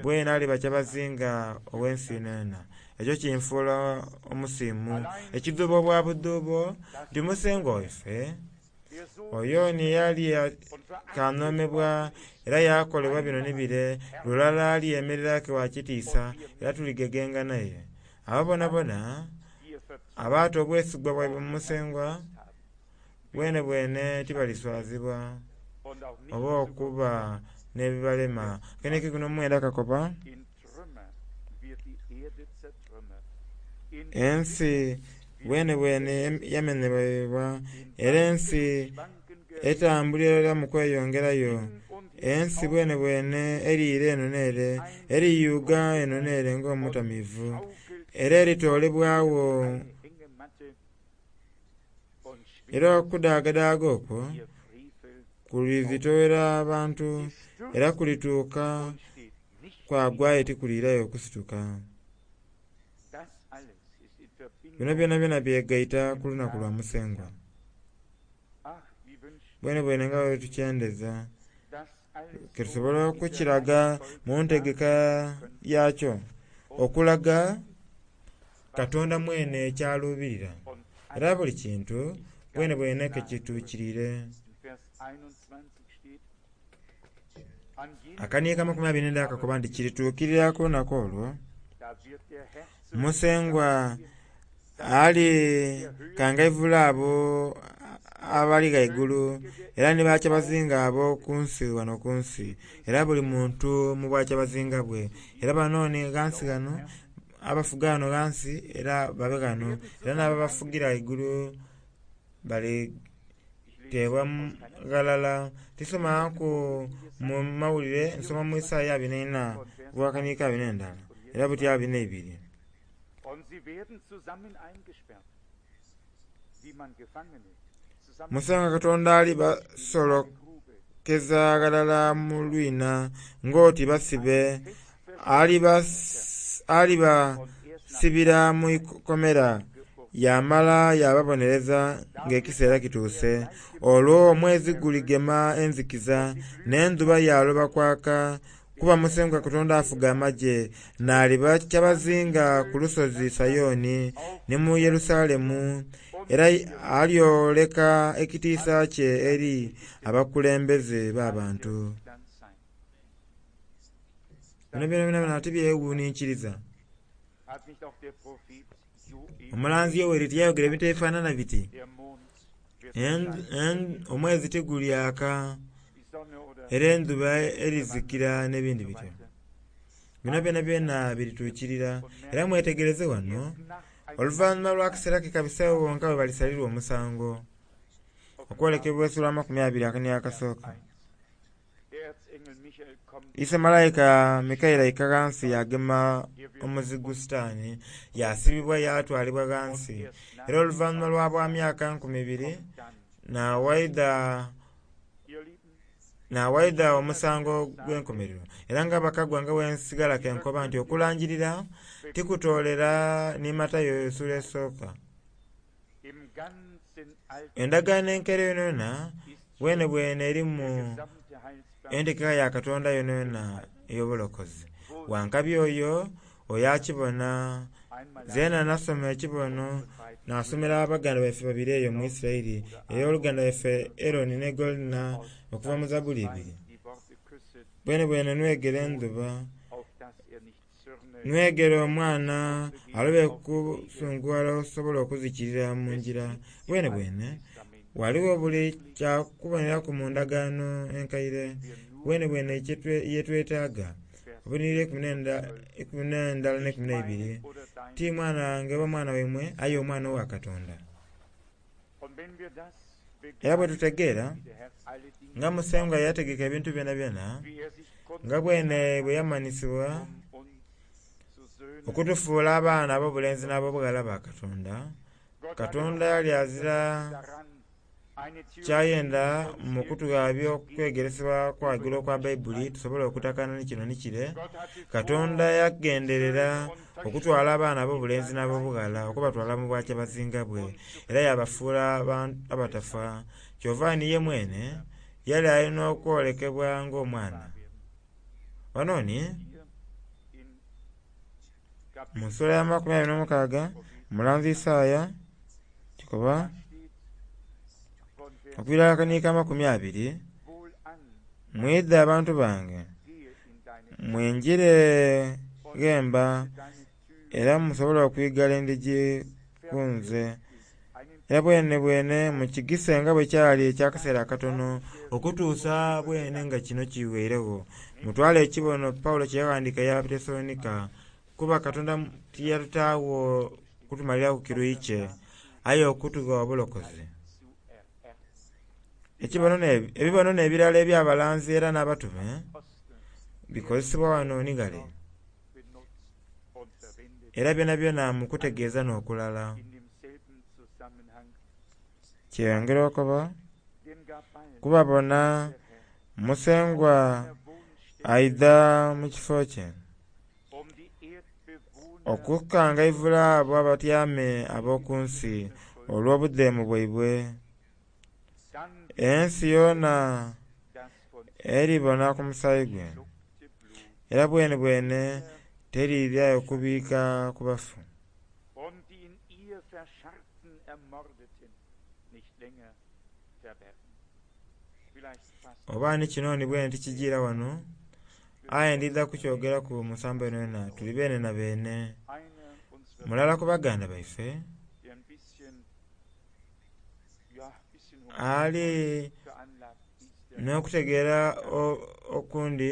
bwene aliba kyabazinga ow'ensi yonayona. Ekyo kinfuula omusiimu. Ekidhuubo bwa budhuubo nti Musengwa waife oyo ni yali kanhoomebwa era yaakolebwa bino ni bire, lulala alyemerera wa kitiisa era tuligegenga naye. Abo boonaboona abaata obwesigwa bwaibwe mu Musengwa bwenebwene tibaliswazibwa oba okuba n'ebibalema. Akanhika ikumi n'omwenda kakoba ensi bwenebwene yamenhebwa era ensi etambulira irala mu kweyongerayo. Ensi bwenebwene eriira eno n'ere, eriyuuga eno n'ere ng'omutamiivu, era eritoolebwagho era okudaagadaaga okwo kulizitoghera abantu era kulituuka kwagwa aye tikuliirayo kusituka. Bino byonabyona byegaita ku lunaku lwa Musengwa. Bwenebwene nga bwe tukyendeza ke tusobola okukiraga mu ntegeka yakyo, okulaga Katonda mwene ky'aluubirira era buli kintu bwenebwene ke kituukirire. Akaniika amakumi abiri n'endala kakoba nti kirituukirira ku lunaku olwo Musengwa ali kangaivula abo abali ghaigulu era ni bakyabazinga abo ku nsi ghano ku nsi, era buli muntu mu bwakyabazinga bwe. Era bano ni ghansi ghano abafuga ghano ghansi era babe ghano, era n'ababafugira ghaigulu baliteebwa ghalala. Tisomangaku mu mawulire, nsoma mu Isaia abiri n'eina ogw'akaniika abiri n'endala era buti abiri n'eibiri. Musengwa Katonda alibasolokeza ghalala mu lwina ng'oti basibe, alibasibira mu ikomera, yaamala yaababonereza ng'ekiseera kituuse. Olwo omwezi guligema enzikiiza, n'endhuba yaaloba kwaka, kuba Musengwa Katonda Afuga Amagye n'aliba kyabazinga ku lusozi Sayoni ni mu Yerusalemu, era alyoleka ekitiisa kye eri abakulembeze b'abantu. Bino byonabyona tibyewuninkiriza. Omulanzi Yoweri tiyayogera ebintu ebifaanana biti, omwezi tigulyaka era endhuba erizikira n'ebindi bityo. Bino byonabyona birituukirira. Era mwetegereze wano, oluvannyuma lw'akaseera ke kabiseegho wonka bwe balisalirwa omusango. Okwolekebwa esula amakumi abiri n'akasooka. Ise malayika Mikaeli aika ghansi yagema omuzigu Sitaani, yasibibwa yatwalibwa ghansi. Era oluvannyuma lwa bwa myaka nkumi ibiri nawaidha nawaidha omusango gw'enkomerero. Era nga bakagwa nga bwensigala kenkoba nti okulangirira tikutoolera ni Matayo esula esooka. Endagaano enkaire yonayona bwene bwene erimu entegeka ya Katonda yonayona ey'obulokozi. Wankabi oyo oyo akibona. Zeena nasoma ekibono nasomera abaganda baife babiri eyo mu Isiraeli, ey'oluganda lwaife Eroni ne Golina okuva mu Zabuli ibiri. Bwene bwene nwegera endhuba, nwegera omwana alobe kusungughala osobole okuzikirira mu ngira. Bwene bwene ghaligho buli kyakuboneraku mu ndagaano enkaire bwene bwene yetwetaaga. Obunhiriri eikumi n'endala n'eikumi n'eibiri ti mwana wange oba mwana waimwe aye omwana owa Katonda. Era bwe tutegeera nga Musengwa yategeka ebintu byonabyona, nga bwene bwe yamanhisibwa okutufuula abaana ab'obulenzi n'ab'obughala ba Katonda, Katonda yali azira kyayenda mu kutughabya okwegeresebwa okwa ghaigulu okwa Baibuli tusobole okutakana ni kino ni kire. Katonda yagenderera okutwala abaana ab'obulenzi n'ab'obughala okubatwala mu bwakyabazinga bwe era yabafuula abatafa. Kyova ni ye mwene yali alina okwolekebwa ng'omwana. Wano ni mu nsula ya makumi abiri n'omukaaga omulanzi Isaaya kikoba okwira akaniika amakumi abiri, mwidhe abantu bange mwingire ghemba era musobole okwigala endhigi ku nze. Era bwene bwene mukigise nga bwe kyali eky'akaseera akatono okutuusa bwene nga kino kiweiregho. Mutwale ekibono Paulo kye yaghandiika eri Abatesalonika, kuba Katonda tiyatutaagho kutumaliraku kiruyi kye, aye okutugha obulokozi. Ebibono n'ebirala eby'abalanzi era n'abatume bikozesebwa wano ni ghale, era byonabyona mu kutegeeza n'okulala. Kyeyongera okuba kuba bona Musengwa aidha mu kifo kye okukangaivula abo abatyamye ab'oku nsi olw'obudheemu bwaibwe. Ensi yoona eribona ku musaayi gwe, era bwene bwene teriirayo kubiika ku bafu. Oba ni kino ni bwene tikijiira wano, aye ndidha kukyogeraku mu nsambo yonayona tuli beene na beene. Mulala ku baganda baife ali n'okutegeera okundi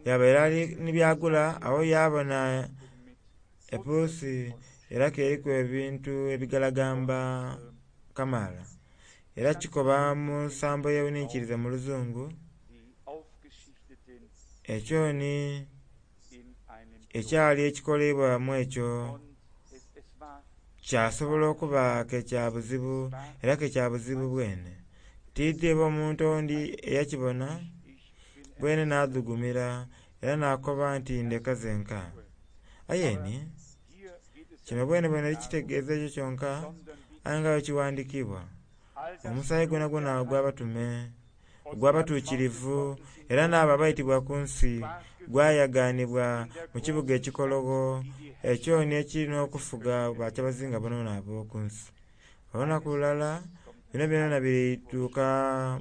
yabaire ali ni byagula agho yabona epuusi era k'eriku ebintu ebigalagamba kamaala. Era kikoba mu nsambo eyeghuninkiliza mu luzungu, ekyo ni ekyali ekikoleibwa mu ekyo kyasobola okuba ke kya buzibu era ke kya buzibu bwene. Tiidhi oba omuntu owundi eyakibona bwene nadhugumira era nakoba nti ndeka zenka. Aye ni kino bwenebwene tikitegeeza ekyo kyonka aye nga bwe kighandiikiibwa, omusaayi gwonagwona ogw'abatume, ogw'abatuukirivu era n'abo abaitibwa ku nsi gwayagaanibwa mu kibuga ekikologho ekyo ni ekiri n'okufuga bakyabazinga boonaboona ab'oku nsi. Olunaku lulala bino byonabyona birituuka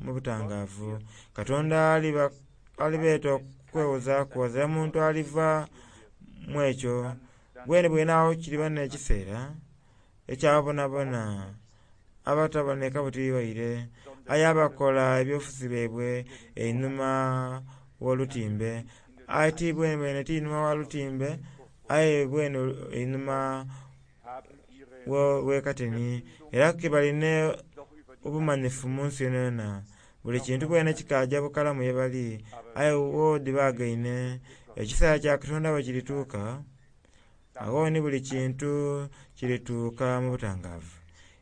mu butangaavu. Katonda alibeeta okwewozaaku ghazira muntu aliva mu ekyo. Bwenebwene agho kiriba n'ekiseera eky'abo bonabona abataboneka buti waire, aye abakola ebyobufuzi byaibwe einhuma w'olutimbe. Aye ti bwenebwene ti inhuma wa lutimbe, aye bwene einhuma w'ekateni. Era ke balina obumanhifu mu nsi yonayona. Buli kintu bwene kikaja bukalamu ye bali, aye wo dhibagaine. Ekiseera kya Katonda bwe kirituuka, agho ni buli kintu kirituuka mu butangaavu.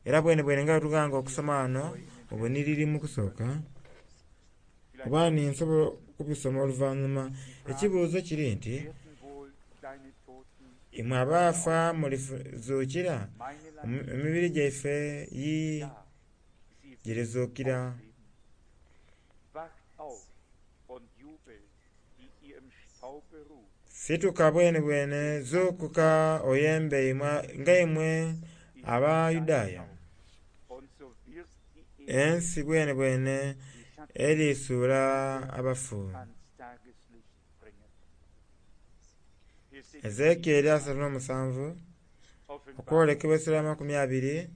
Era bwenebwene nga bwe tughanga okusoma ghano mu bunhiriri mu kusooka, oba ni nsobola okubisoma oluvanhuma. Ekibuuzo kiri nti, imwe abaafa mulizuukira? Emibiri gyaife yi girizuukira. Situka bwenebwene, zuukuka oyembe nga imwe Abayudaaya. Ensi bwenebwene erisuula abafu. Ezekieri asatu n'omusanvu, okwolekebwa esula amakumi abiri,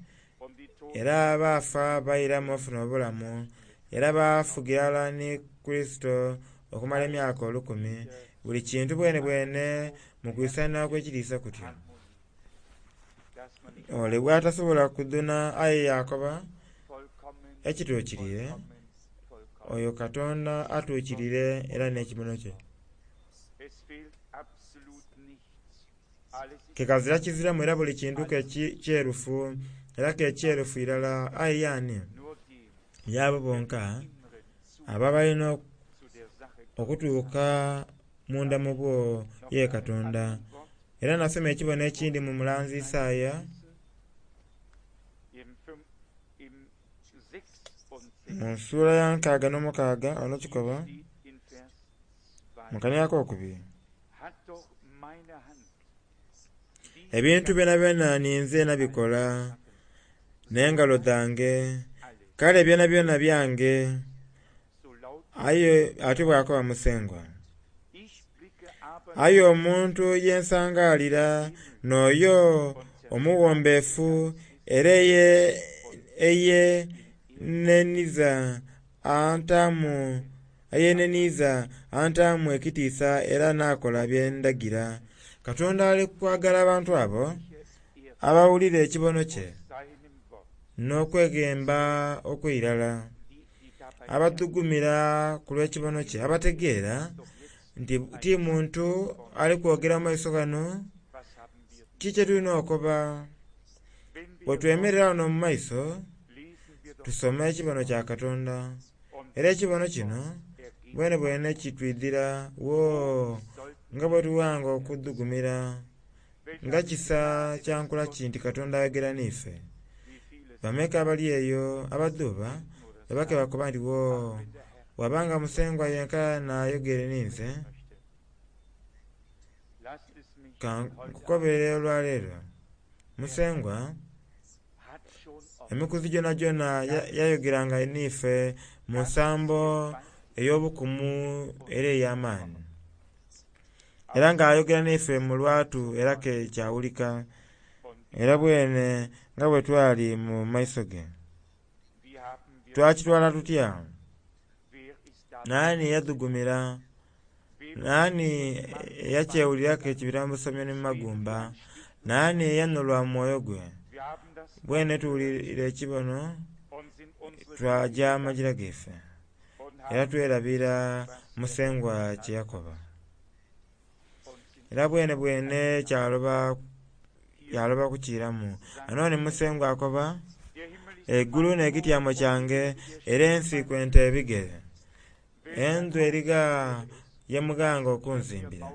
era abaafa bairamu ofuna obulamu, era baafugira ghalala ni Kurisito okumala emyaka olukumi. Buli kintu bwenebwene mu kwisania okw'ekitiisa kutyo. Ole bw'atasobola kudhuna aye yakoba ekituukiriire, oyo Katonda atuukiriire era n'ekibono kye. Ke kazira kiziramu era buli kintu ke kyerufu era ke kyerufu irala. Aye yaani y'abo bonka abo abalina okutuuka munda mu bwo ye Katonda. Era nasoma ekibono ekindi mu mulanzi Isaaya mu nsula ya nkaaga n'omukaaga ono kikoba mu kania akokubiri, ebintu byonabyona ninze nabikola n'engalo dhange, kale byonabyona byange. Aye atyo bw'akoba Musengwa. Aye omuntu ye nsangaalira n'oyo omughombeefu era eyeneniiza antaamu eyeneniiza antaamu ekitiisa era n'akola bye ndagira. Katonda ali kwagala abantu abo abawulira ekibono kye n'okweghemba okw'eirala, abadhugumira ku lw'ekibono kye, abategeera nti ti muntu ali kwogera mu maiso gano, ki kye tulina okukoba? Bwe twemerera ghano mu maiso, tusoma ekibono kya Katonda. Era ekibono kino bwenebwene kitwidhira woo nga bwe tughanga okudhugumira, nga kisa kya nkula ki nti Katonda ayogera n'ife. Bameka abali eyo abadhuuba bwe bakoba nti woo wabanga Musengwa yenka n'ayogere ninze, ka nkukobere olwaleero. Musengwa emikuzi gyonagyona yayogeranga n'ife mu nsambo ey'obukumu era ey'amaani. Era nga ayogera n'ife mu lwatu era ke kyawulika, era bwene nga bwe twali mu maiso ge. Twakitwala tutya? Naani eyadhugumira? Naani eyakyewuliraku ekibira mu busomyo ni mu magumba? Naani eyanhulwa mu mwoyo gwe? Bwene tuwulira ekibono twaja amagira gaife, era twerabira Musengwa kye yakoba. Era bwenebwene kyaloba yaloba kukiiramu. Anoni Musengwa akoba, eigulu n'ekityamo kyange era ensi kwenta ebigere. Endhu erigha ye mughanga okunzimbira?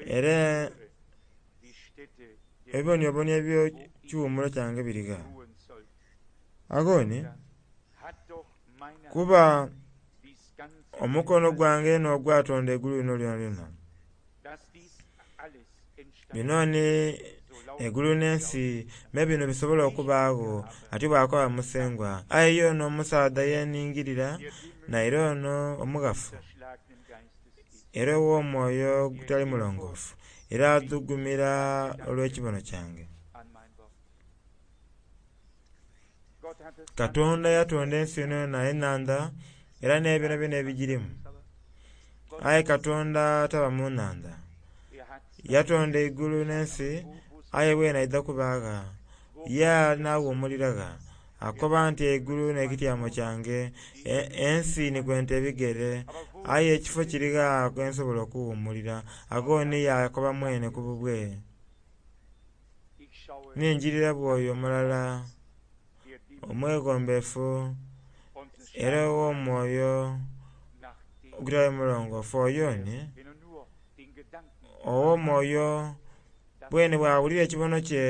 Era ebiboniobonio eby'ekiwumulo kyange birigha? Agho ni kuba omukono gwange n'ogwatonda eigulu lino lyonalyona. Bino ni eigulu n'ensi me bino bisobola okubaagho, atyo bw'akoba Musengwa. Aye ye ono omusaadha yeningirira, naire ono omughafu era ow'omwoyo ogutali mulongoofu, era adhugumira olw'ekibono kyange. Katonda yatonda ensi yonayona, enhandha era n'ebyonabyona ebigirimu. Aye Katonda taba mu nhandha. Yatonda eigulu n'ensi aye bwene aidha kuba gha? Ye anaawumulira gha? Akoba nti eigulu n'ekityamo kyange, ensi ni kwenta ebigere, aye ekifo kiri gha ghensobola okuwumulira? Agho ni yaakoba mwene ku bubwe, ningirira bw'oyo omulala omweghombefu era ow'omwoyo ogutali mulongoofu oyo ni ow'omwoyo bwene bw'awulira ekibono kye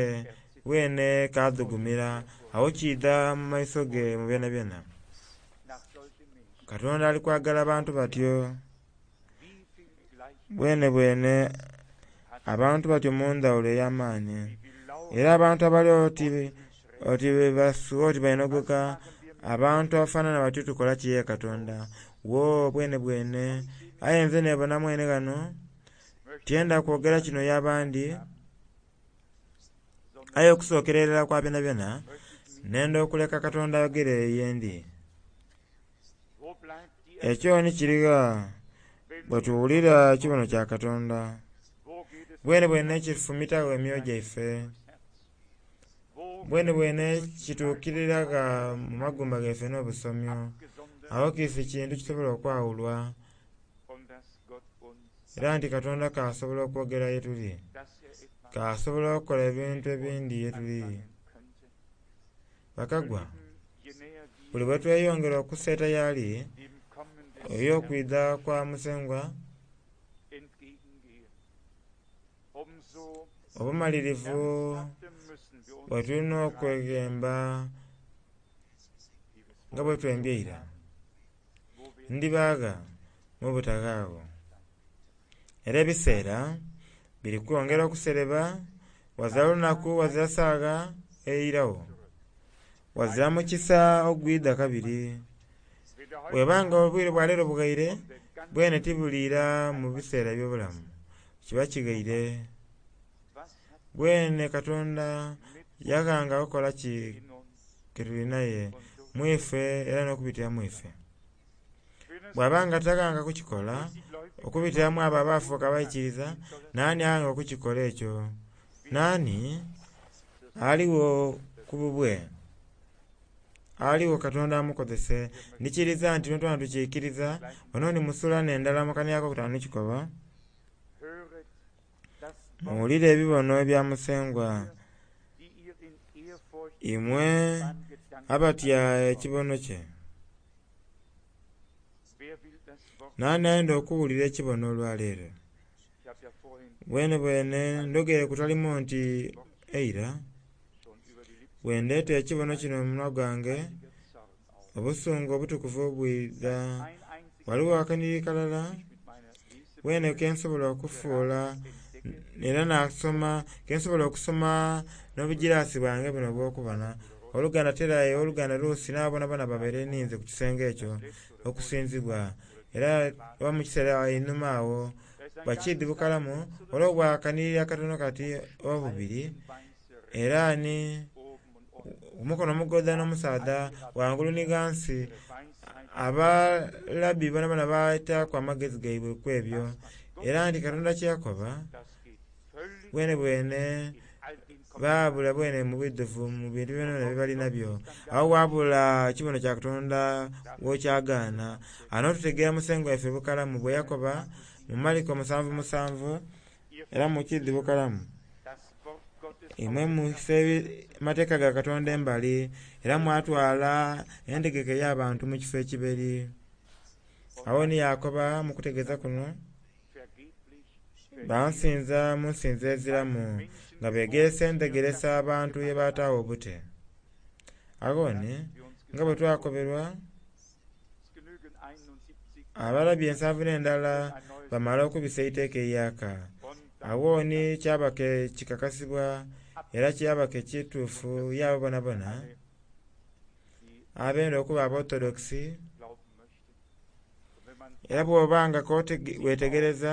bwene kadhugumira, agho kiidha mu maiso ge mu byonabyona. Katonda ali kwagala bantu batyo bwene bwene abantu batyo mu ndhawulo ey'amaani. Era abantu abali oti oti basuwa oti bainhogoka, abantu abafanana batyo tukola ki ye Katonda? Wo bwene bwene aye nze nebona mwene ghano tyenda kwogera kino y'abandi, aye okusookera irala kwa byonabyona nenda okuleka Katonda ayogere yendi. Ekyo ni kirigha bwe tuwulira ekibono kya Katonda? Bwene bwene kifumitagho emyoyo gyaife, bwene bwene kituukirira mu magumba gaife n'obusomyo. Agho kiisi kintu kisobola okwawulwa era nti Katonda k'asobola okwogera ye tuli, k'asobola okukola ebintu ebindi ye tuli. Bakagwa, buli bwe tweyongera okuseeta y'ali, ey'okwidha kwa Musengwa, obumalirivu bwe tulina okweghemba nga bwe twembye eira, ndiba gha mu butaghaagho. Era ebiseera biri kwongera okusereba, ghazira lunaku ghazira saagha eiragho, ghazira mukisa ogwidha kabiri. Bw'eba nga obwire bwa leero bughaire, bwene tibuliira mu biseera eby'obulamu, kiba kighaire. Bwene Katonda yaghanga kukola ki ke tuli naye mu ife era n'okubitira mu ife? Bw'aba nga taghanga kukikola okubitira mu abo abaafuuka abaikiriza, naani aghanga okukikola ekyo? Naani aligho ku bubwe? Aligho Katonda amukozese? Ndikiriza nti twena tukiikiriza, wano ni mu sula n'endala mu kanhiriri akokutaanu ni kikoba, muwulire ebibono ebya Musengwa, imwe abatya ekibono kye. Naani ayenda okuwulira ekibono olwaleero? Bwene bwene ndhogeire kutalimu nti eira, bwe ndeeta ekibono kino mu munwa gwange, obusungu obutukuvu bwidha. Ghaligho akanhiriri kalala bwene ke nsobola okufuula era nasoma, ke nsobola okusoma n'obugiraasi bwange buno obw'okubona. Oluganda Terayi, oluganda Lusi n'abo boonaboona babaire ninze ku kisenge ekyo okusinzibwa. Era oba mu kiseera einhuma agho bakiidhi bukalamu olw'obwa akanhiriri akatono kati oba bubiri, era ni omukono omugoodha n'omusaadha ghangulu ni ghansi, abalabi boonaboona baataaku amagezi gaibwe ku ebyo. Era nti Katonda kye yakoba bwene bwene baabula bwene mu bwidhuvu mu bintu byonabyona bye bali nabyo. Agho waabula ekibono kya Katonda w'okyagaana. Ano tutegeera Musengwa waife bukalamu bwe yakoba mu Mariko musanvu musanvu era mukiidhi bukalamu. Imwe mwisa amateeka ga Katonda embali era mwatwala entegeka ey'abantu mu kifo ekiberi. Agho ni yaakoba mu kutegeeza kuno, bansinza mu nsinza eziramu nga beegeresa endhegeresa abantu ye bataagho obute. Agho ni nga bwe twakoberwa, abalabi ensanvu n'endala bamala okubisa eiteeka eiyaaka. Agho ni kyaba ke kikakasibwa era kyaba ke kituufu y'abo boonaboona abenda okuba Abaorthodokisi. Era bw'oba nga wetegereza,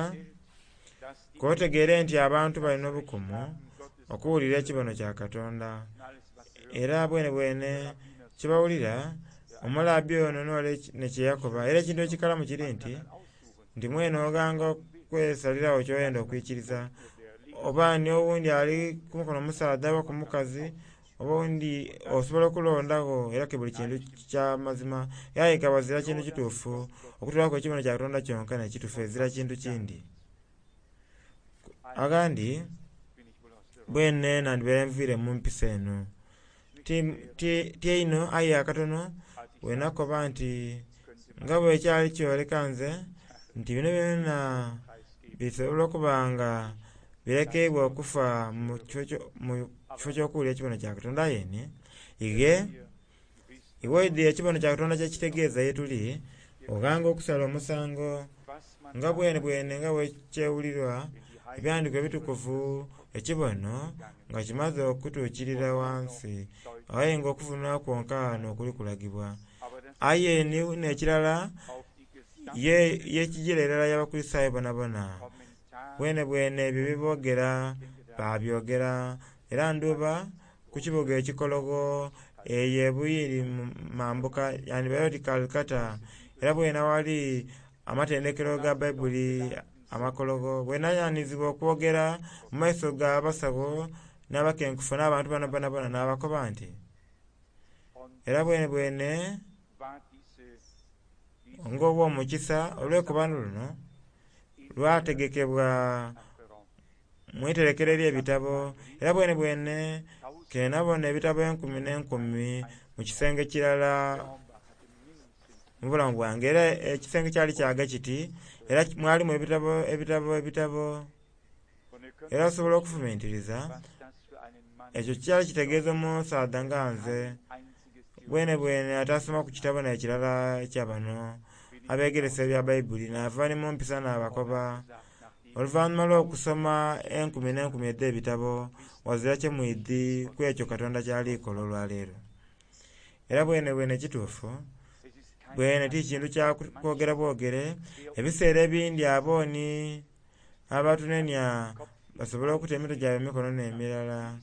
k'otegeere nti abantu balina obukumu okuwulira ekibono kya Katonda. Era bwenebwene kyebawulira omulabi ono n'ole nekyeyakoba. Era ekintu ekikalamu kiri nti nti mwene oghanga okwesaliragho kyoyenda okwikiriza, oba ni owundi ali ku mukono omusaadha oba ku mukazi, oba owundi osobola okulondagho era ke buli kintu kya mazima. Aye nga ghazira kintu kituufu okutolaku ekibono kya Katonda kyonka n'ekituufu, ezira kintu kindi. Aghandi bwene nandhibaire nviire mu mpisa eno ti einho aye akatono bwenakoba nti nga bwekyali kyoleka nze nti bino byona bisobola okuba nga birekeibwa okufa mu kifo ky'okuwulira ekibono kya Katonda. Aye ni ighe iwe oidhi ekibono kya Katonda kyekitegeeza ye tuli, oghanga okusala omusango nga bwenebwene nga bwekyewulirwa Ebyandikwa ebitukuvu, ekibono nga kimaze okutuukirira ghansi, aye nga okuvunula kwonka n'okuli kulagibwa. Aye n'ekirala yekijira irala y'Abakulisitayo bonabona bwenebwene ebyo byeboogera babyogera. Era ndhuba ku kibuga ekikologho eyo ebuyiri mambuka yandibaire oti Calcutta, era bwene aghali amatendekero ga Baibuli amakologho, bwenayanizibwa okwogera mu maiso g'abasawo n'abakenkufu n'abantu bano bonabona, n'abakoba nti era bwenebwene ng'obw'omukisa olw'ekobano luno lwategekebwa mu iterekero ery'ebitabo, era bwenebwene kenabona ebitabo enkumi n'enkumi mu kisenge kirala mu bulamu bwange. Era ekisenge kyali kyaga kiti, era mwalimu ebitabo ebitabo ebitabo, era osobola okufumintiriza ekyo kyali kitegeeza omusaadha nga nze bwenebwene atasomaku kitabo n'ekirala ekya bano abegeresa ebya Baibuli. Naava ni mu mpisa n'abakoba oluvanhuma lw'okusoma enkumi n'enkumi edh'ebitabo, ghazira kye mwidhi ku ekyo Katonda kyali kola olwaleero. Era bwenebwene kituufu bwene ti kintu kya kwogera bwogere. Ebiseera ebindi abooni abatunenia basobola okuta emitwe gyabwe mu mikono n'emirala,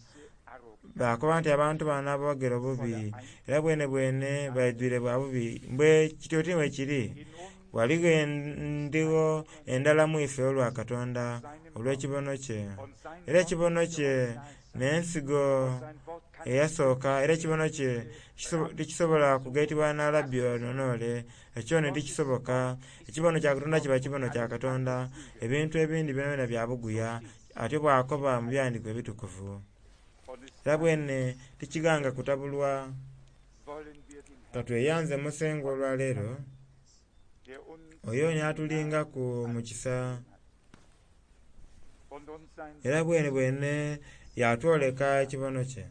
bakoba nti abantu bano aboogera obubi era bwenebwene baidhwire bwa bubi. Mbwe kityo ti bwe kiri, ghaligho endhigho endala mu ife olwa Katonda olw'ekibono kye. Era ekibono kye n'ensigo eyasooka, era ekibono kye tikisobola kugaitibwa na labbi ono n'ole, ekyo ni tikisoboka. Ekibono kya Katonda kiba kibono kya Katonda, ebintu ebindi byonabyona bya buguya, atyo bw'akoba mu byandikwa ebitukuvu. Era bwene tikighanga kutabulwa. Katweyanze Musengwa olwaleero, oyo ni atulingaku mu kisa, era bwenebwene yatwoleka ekibono kye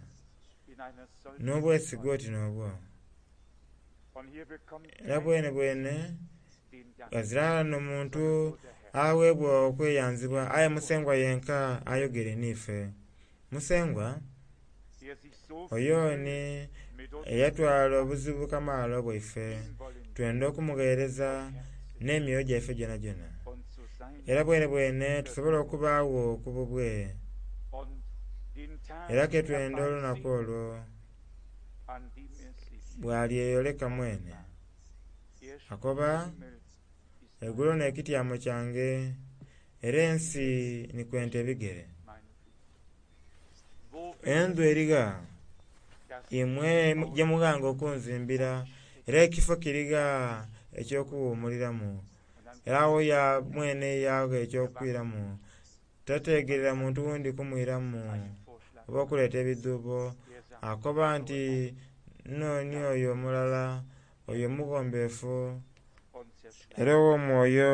n'obwesige oti n'obwo. Era bwenebwene ghazira ghano muntu aweebwa okweyanzibwa, aye Musengwa yenka ayogere n'ife. Musengwa oyo ni eyatwala obuzibu kamaala obwaife, twenda okumugheereza n'emyoyo gyaife gyonagyona. Era bwenebwene tusobole okubaagho ku bubwe, era ke twenda olunaku olwo bw'alyeyoleka mwene. Akoba, eigulu n'ekityamo kyange, era ensi ni kwenta ebigere. Endhu erigha imwe gye mughanga okunzimbira, era ekifo kirigha eky'okuwuumuliramu? Era agho ya mwene yagha eky'okwiramu, tategerera muntu wundi kumwiramu oba okuleeta ebidhuubo. Akoba nti nnooni oyo omulala, oyo omughombefu era ow'omwoyo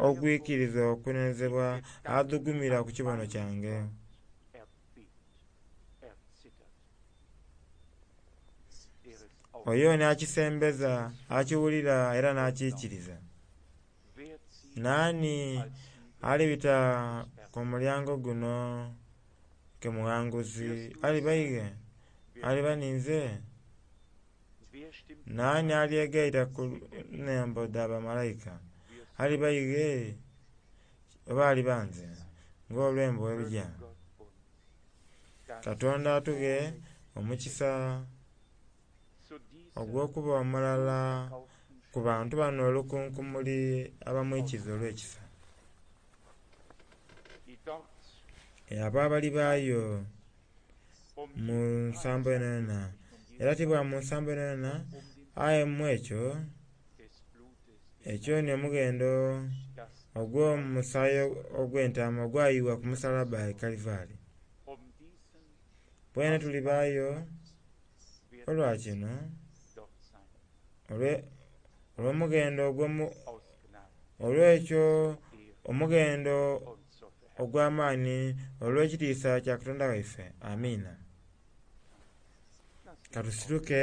ogwikiriza okunenezebwa, adhugumira ku kibono kyange. Oyo ni akisembeza, akiwulira era n'akiikiriza. Naani alibita ku mulyango guno ke mughanguzi? Aliba ighe? Aliba ninze? Naani alyegaita ku nhembo dha bamalaika? Aliba ighe oba aliba nze? Ng'olwembo bwe luja. Katonda atughe omukisa ogw'okuba omulala ku bantu bano olukunkumuli abamwikiza olw'ekisa. Abo abalibaayo mu nsambo yonayona, era ti bwa mu nsambo yonayona aye mu ekyo, ekyo ni omughendo ogw'omusaayi ogw'entaama ogwayuwa ku musalaba e Kalivari. Bwene tulibaayo olwa kino, olw'omughendo olw'ekyo omughendo ogw'amaani olw'ekitiisa kya Katonda waife. Amiina. Katusituke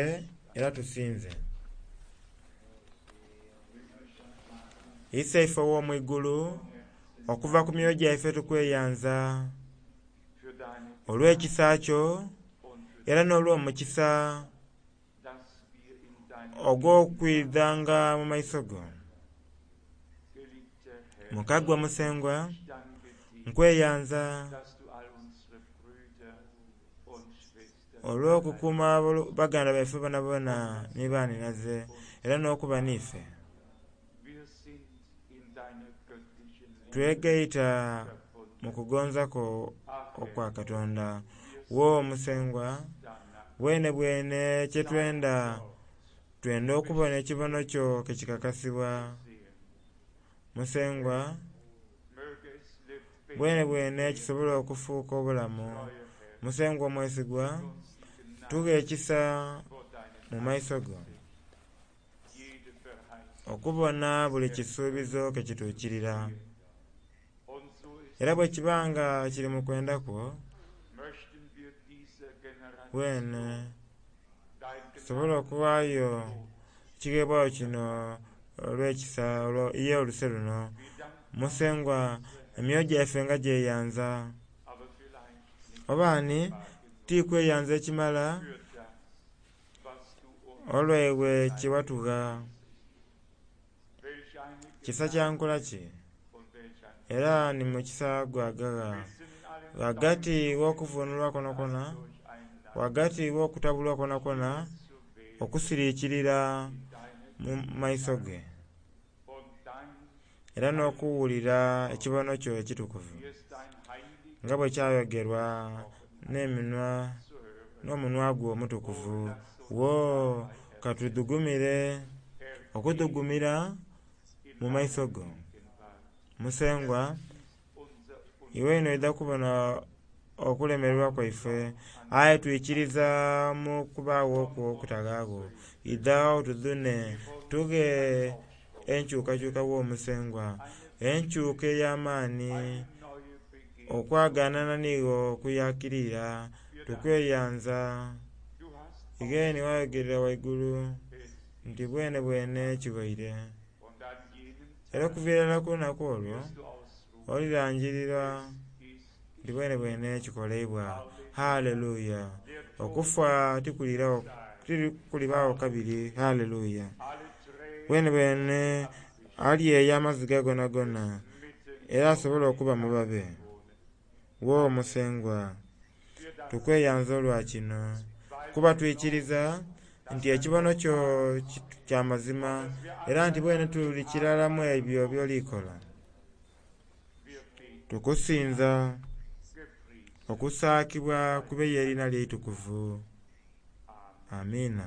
era tusinze. Iseife ow'omwigulu, okuva ku myoyo gyaife tukweyanza olw'ekisa kyo era n'olw'omukisa ogw'okwidhanga mu maiso go. Mukagwa Musengwa, nkweyanza olw'okukuuma baganda baife bonabona ni baninaze era n'okuba n'ife. Twegaita mu kugonza kwo okwa Katonda. Wo Musengwa, bwene bwene kyetwenda, twenda okubona ekibono kyo kekikakasibwa. Musengwa, bwene bwene kisobole okufuuka obulamu. Musengwa omwesigwa, tughe ekisa mu maiso go okubona buli kisuubizo kekituukirira. Era bwe kiba nga kiri mu kwenda kwo, bwene tusobole okuwaayo ekigheebwayo kino olw'ekisa ye oluse luno. Musengwa, emyoyo gyaife nga gyeyanza. Oba ni tikweyanza ekimala olwaiwe kye watugha. Kisa kya nkola ki? Era ni mukisa gwagagha ghagati gh'okuvunulwa kwonakwo, ghagati gh'okutabulwa kwonakwo, okusirikirira mu maiso ge era n'okuwulira ekibono kyo ekitukuvu nga bwe kyayogerwa n'eminwa n'omunwa gwo omutukuvu. Wo katudhugumire okudhugumira mu maiso go. Musengwa, iwe oidha kubona okulemererwa kwaife, aye twikiriza mu kubaagho kwo okutaghaagho. Idha otudhune, tughe enkyukakyuka wo Musengwa, enkyuka ey'amaani, okwaganana n'iwe okuyakirira. Tukweyanza ighe ni wayogerera ghaigulu nti bwene bwene kighoire. Era okuviira irala ku lunaku olwo olirangirira nti bwene bwene kikoleibwa. Haleluya! Okufa tikulibagho kabiri. Haleluya! Bwene bwene alyeya amaziga gonagona era asobole okuba mu babe. Wo Musengwa, tukweyanza olwa kino, kuba twikiriza nti ekibono kyo kya mazima era nti bwene tuli kirala mu ebyo by'olikola. Tukusinza, okusaakibwa kube y'eriina lyo eitukuvu. Amiina.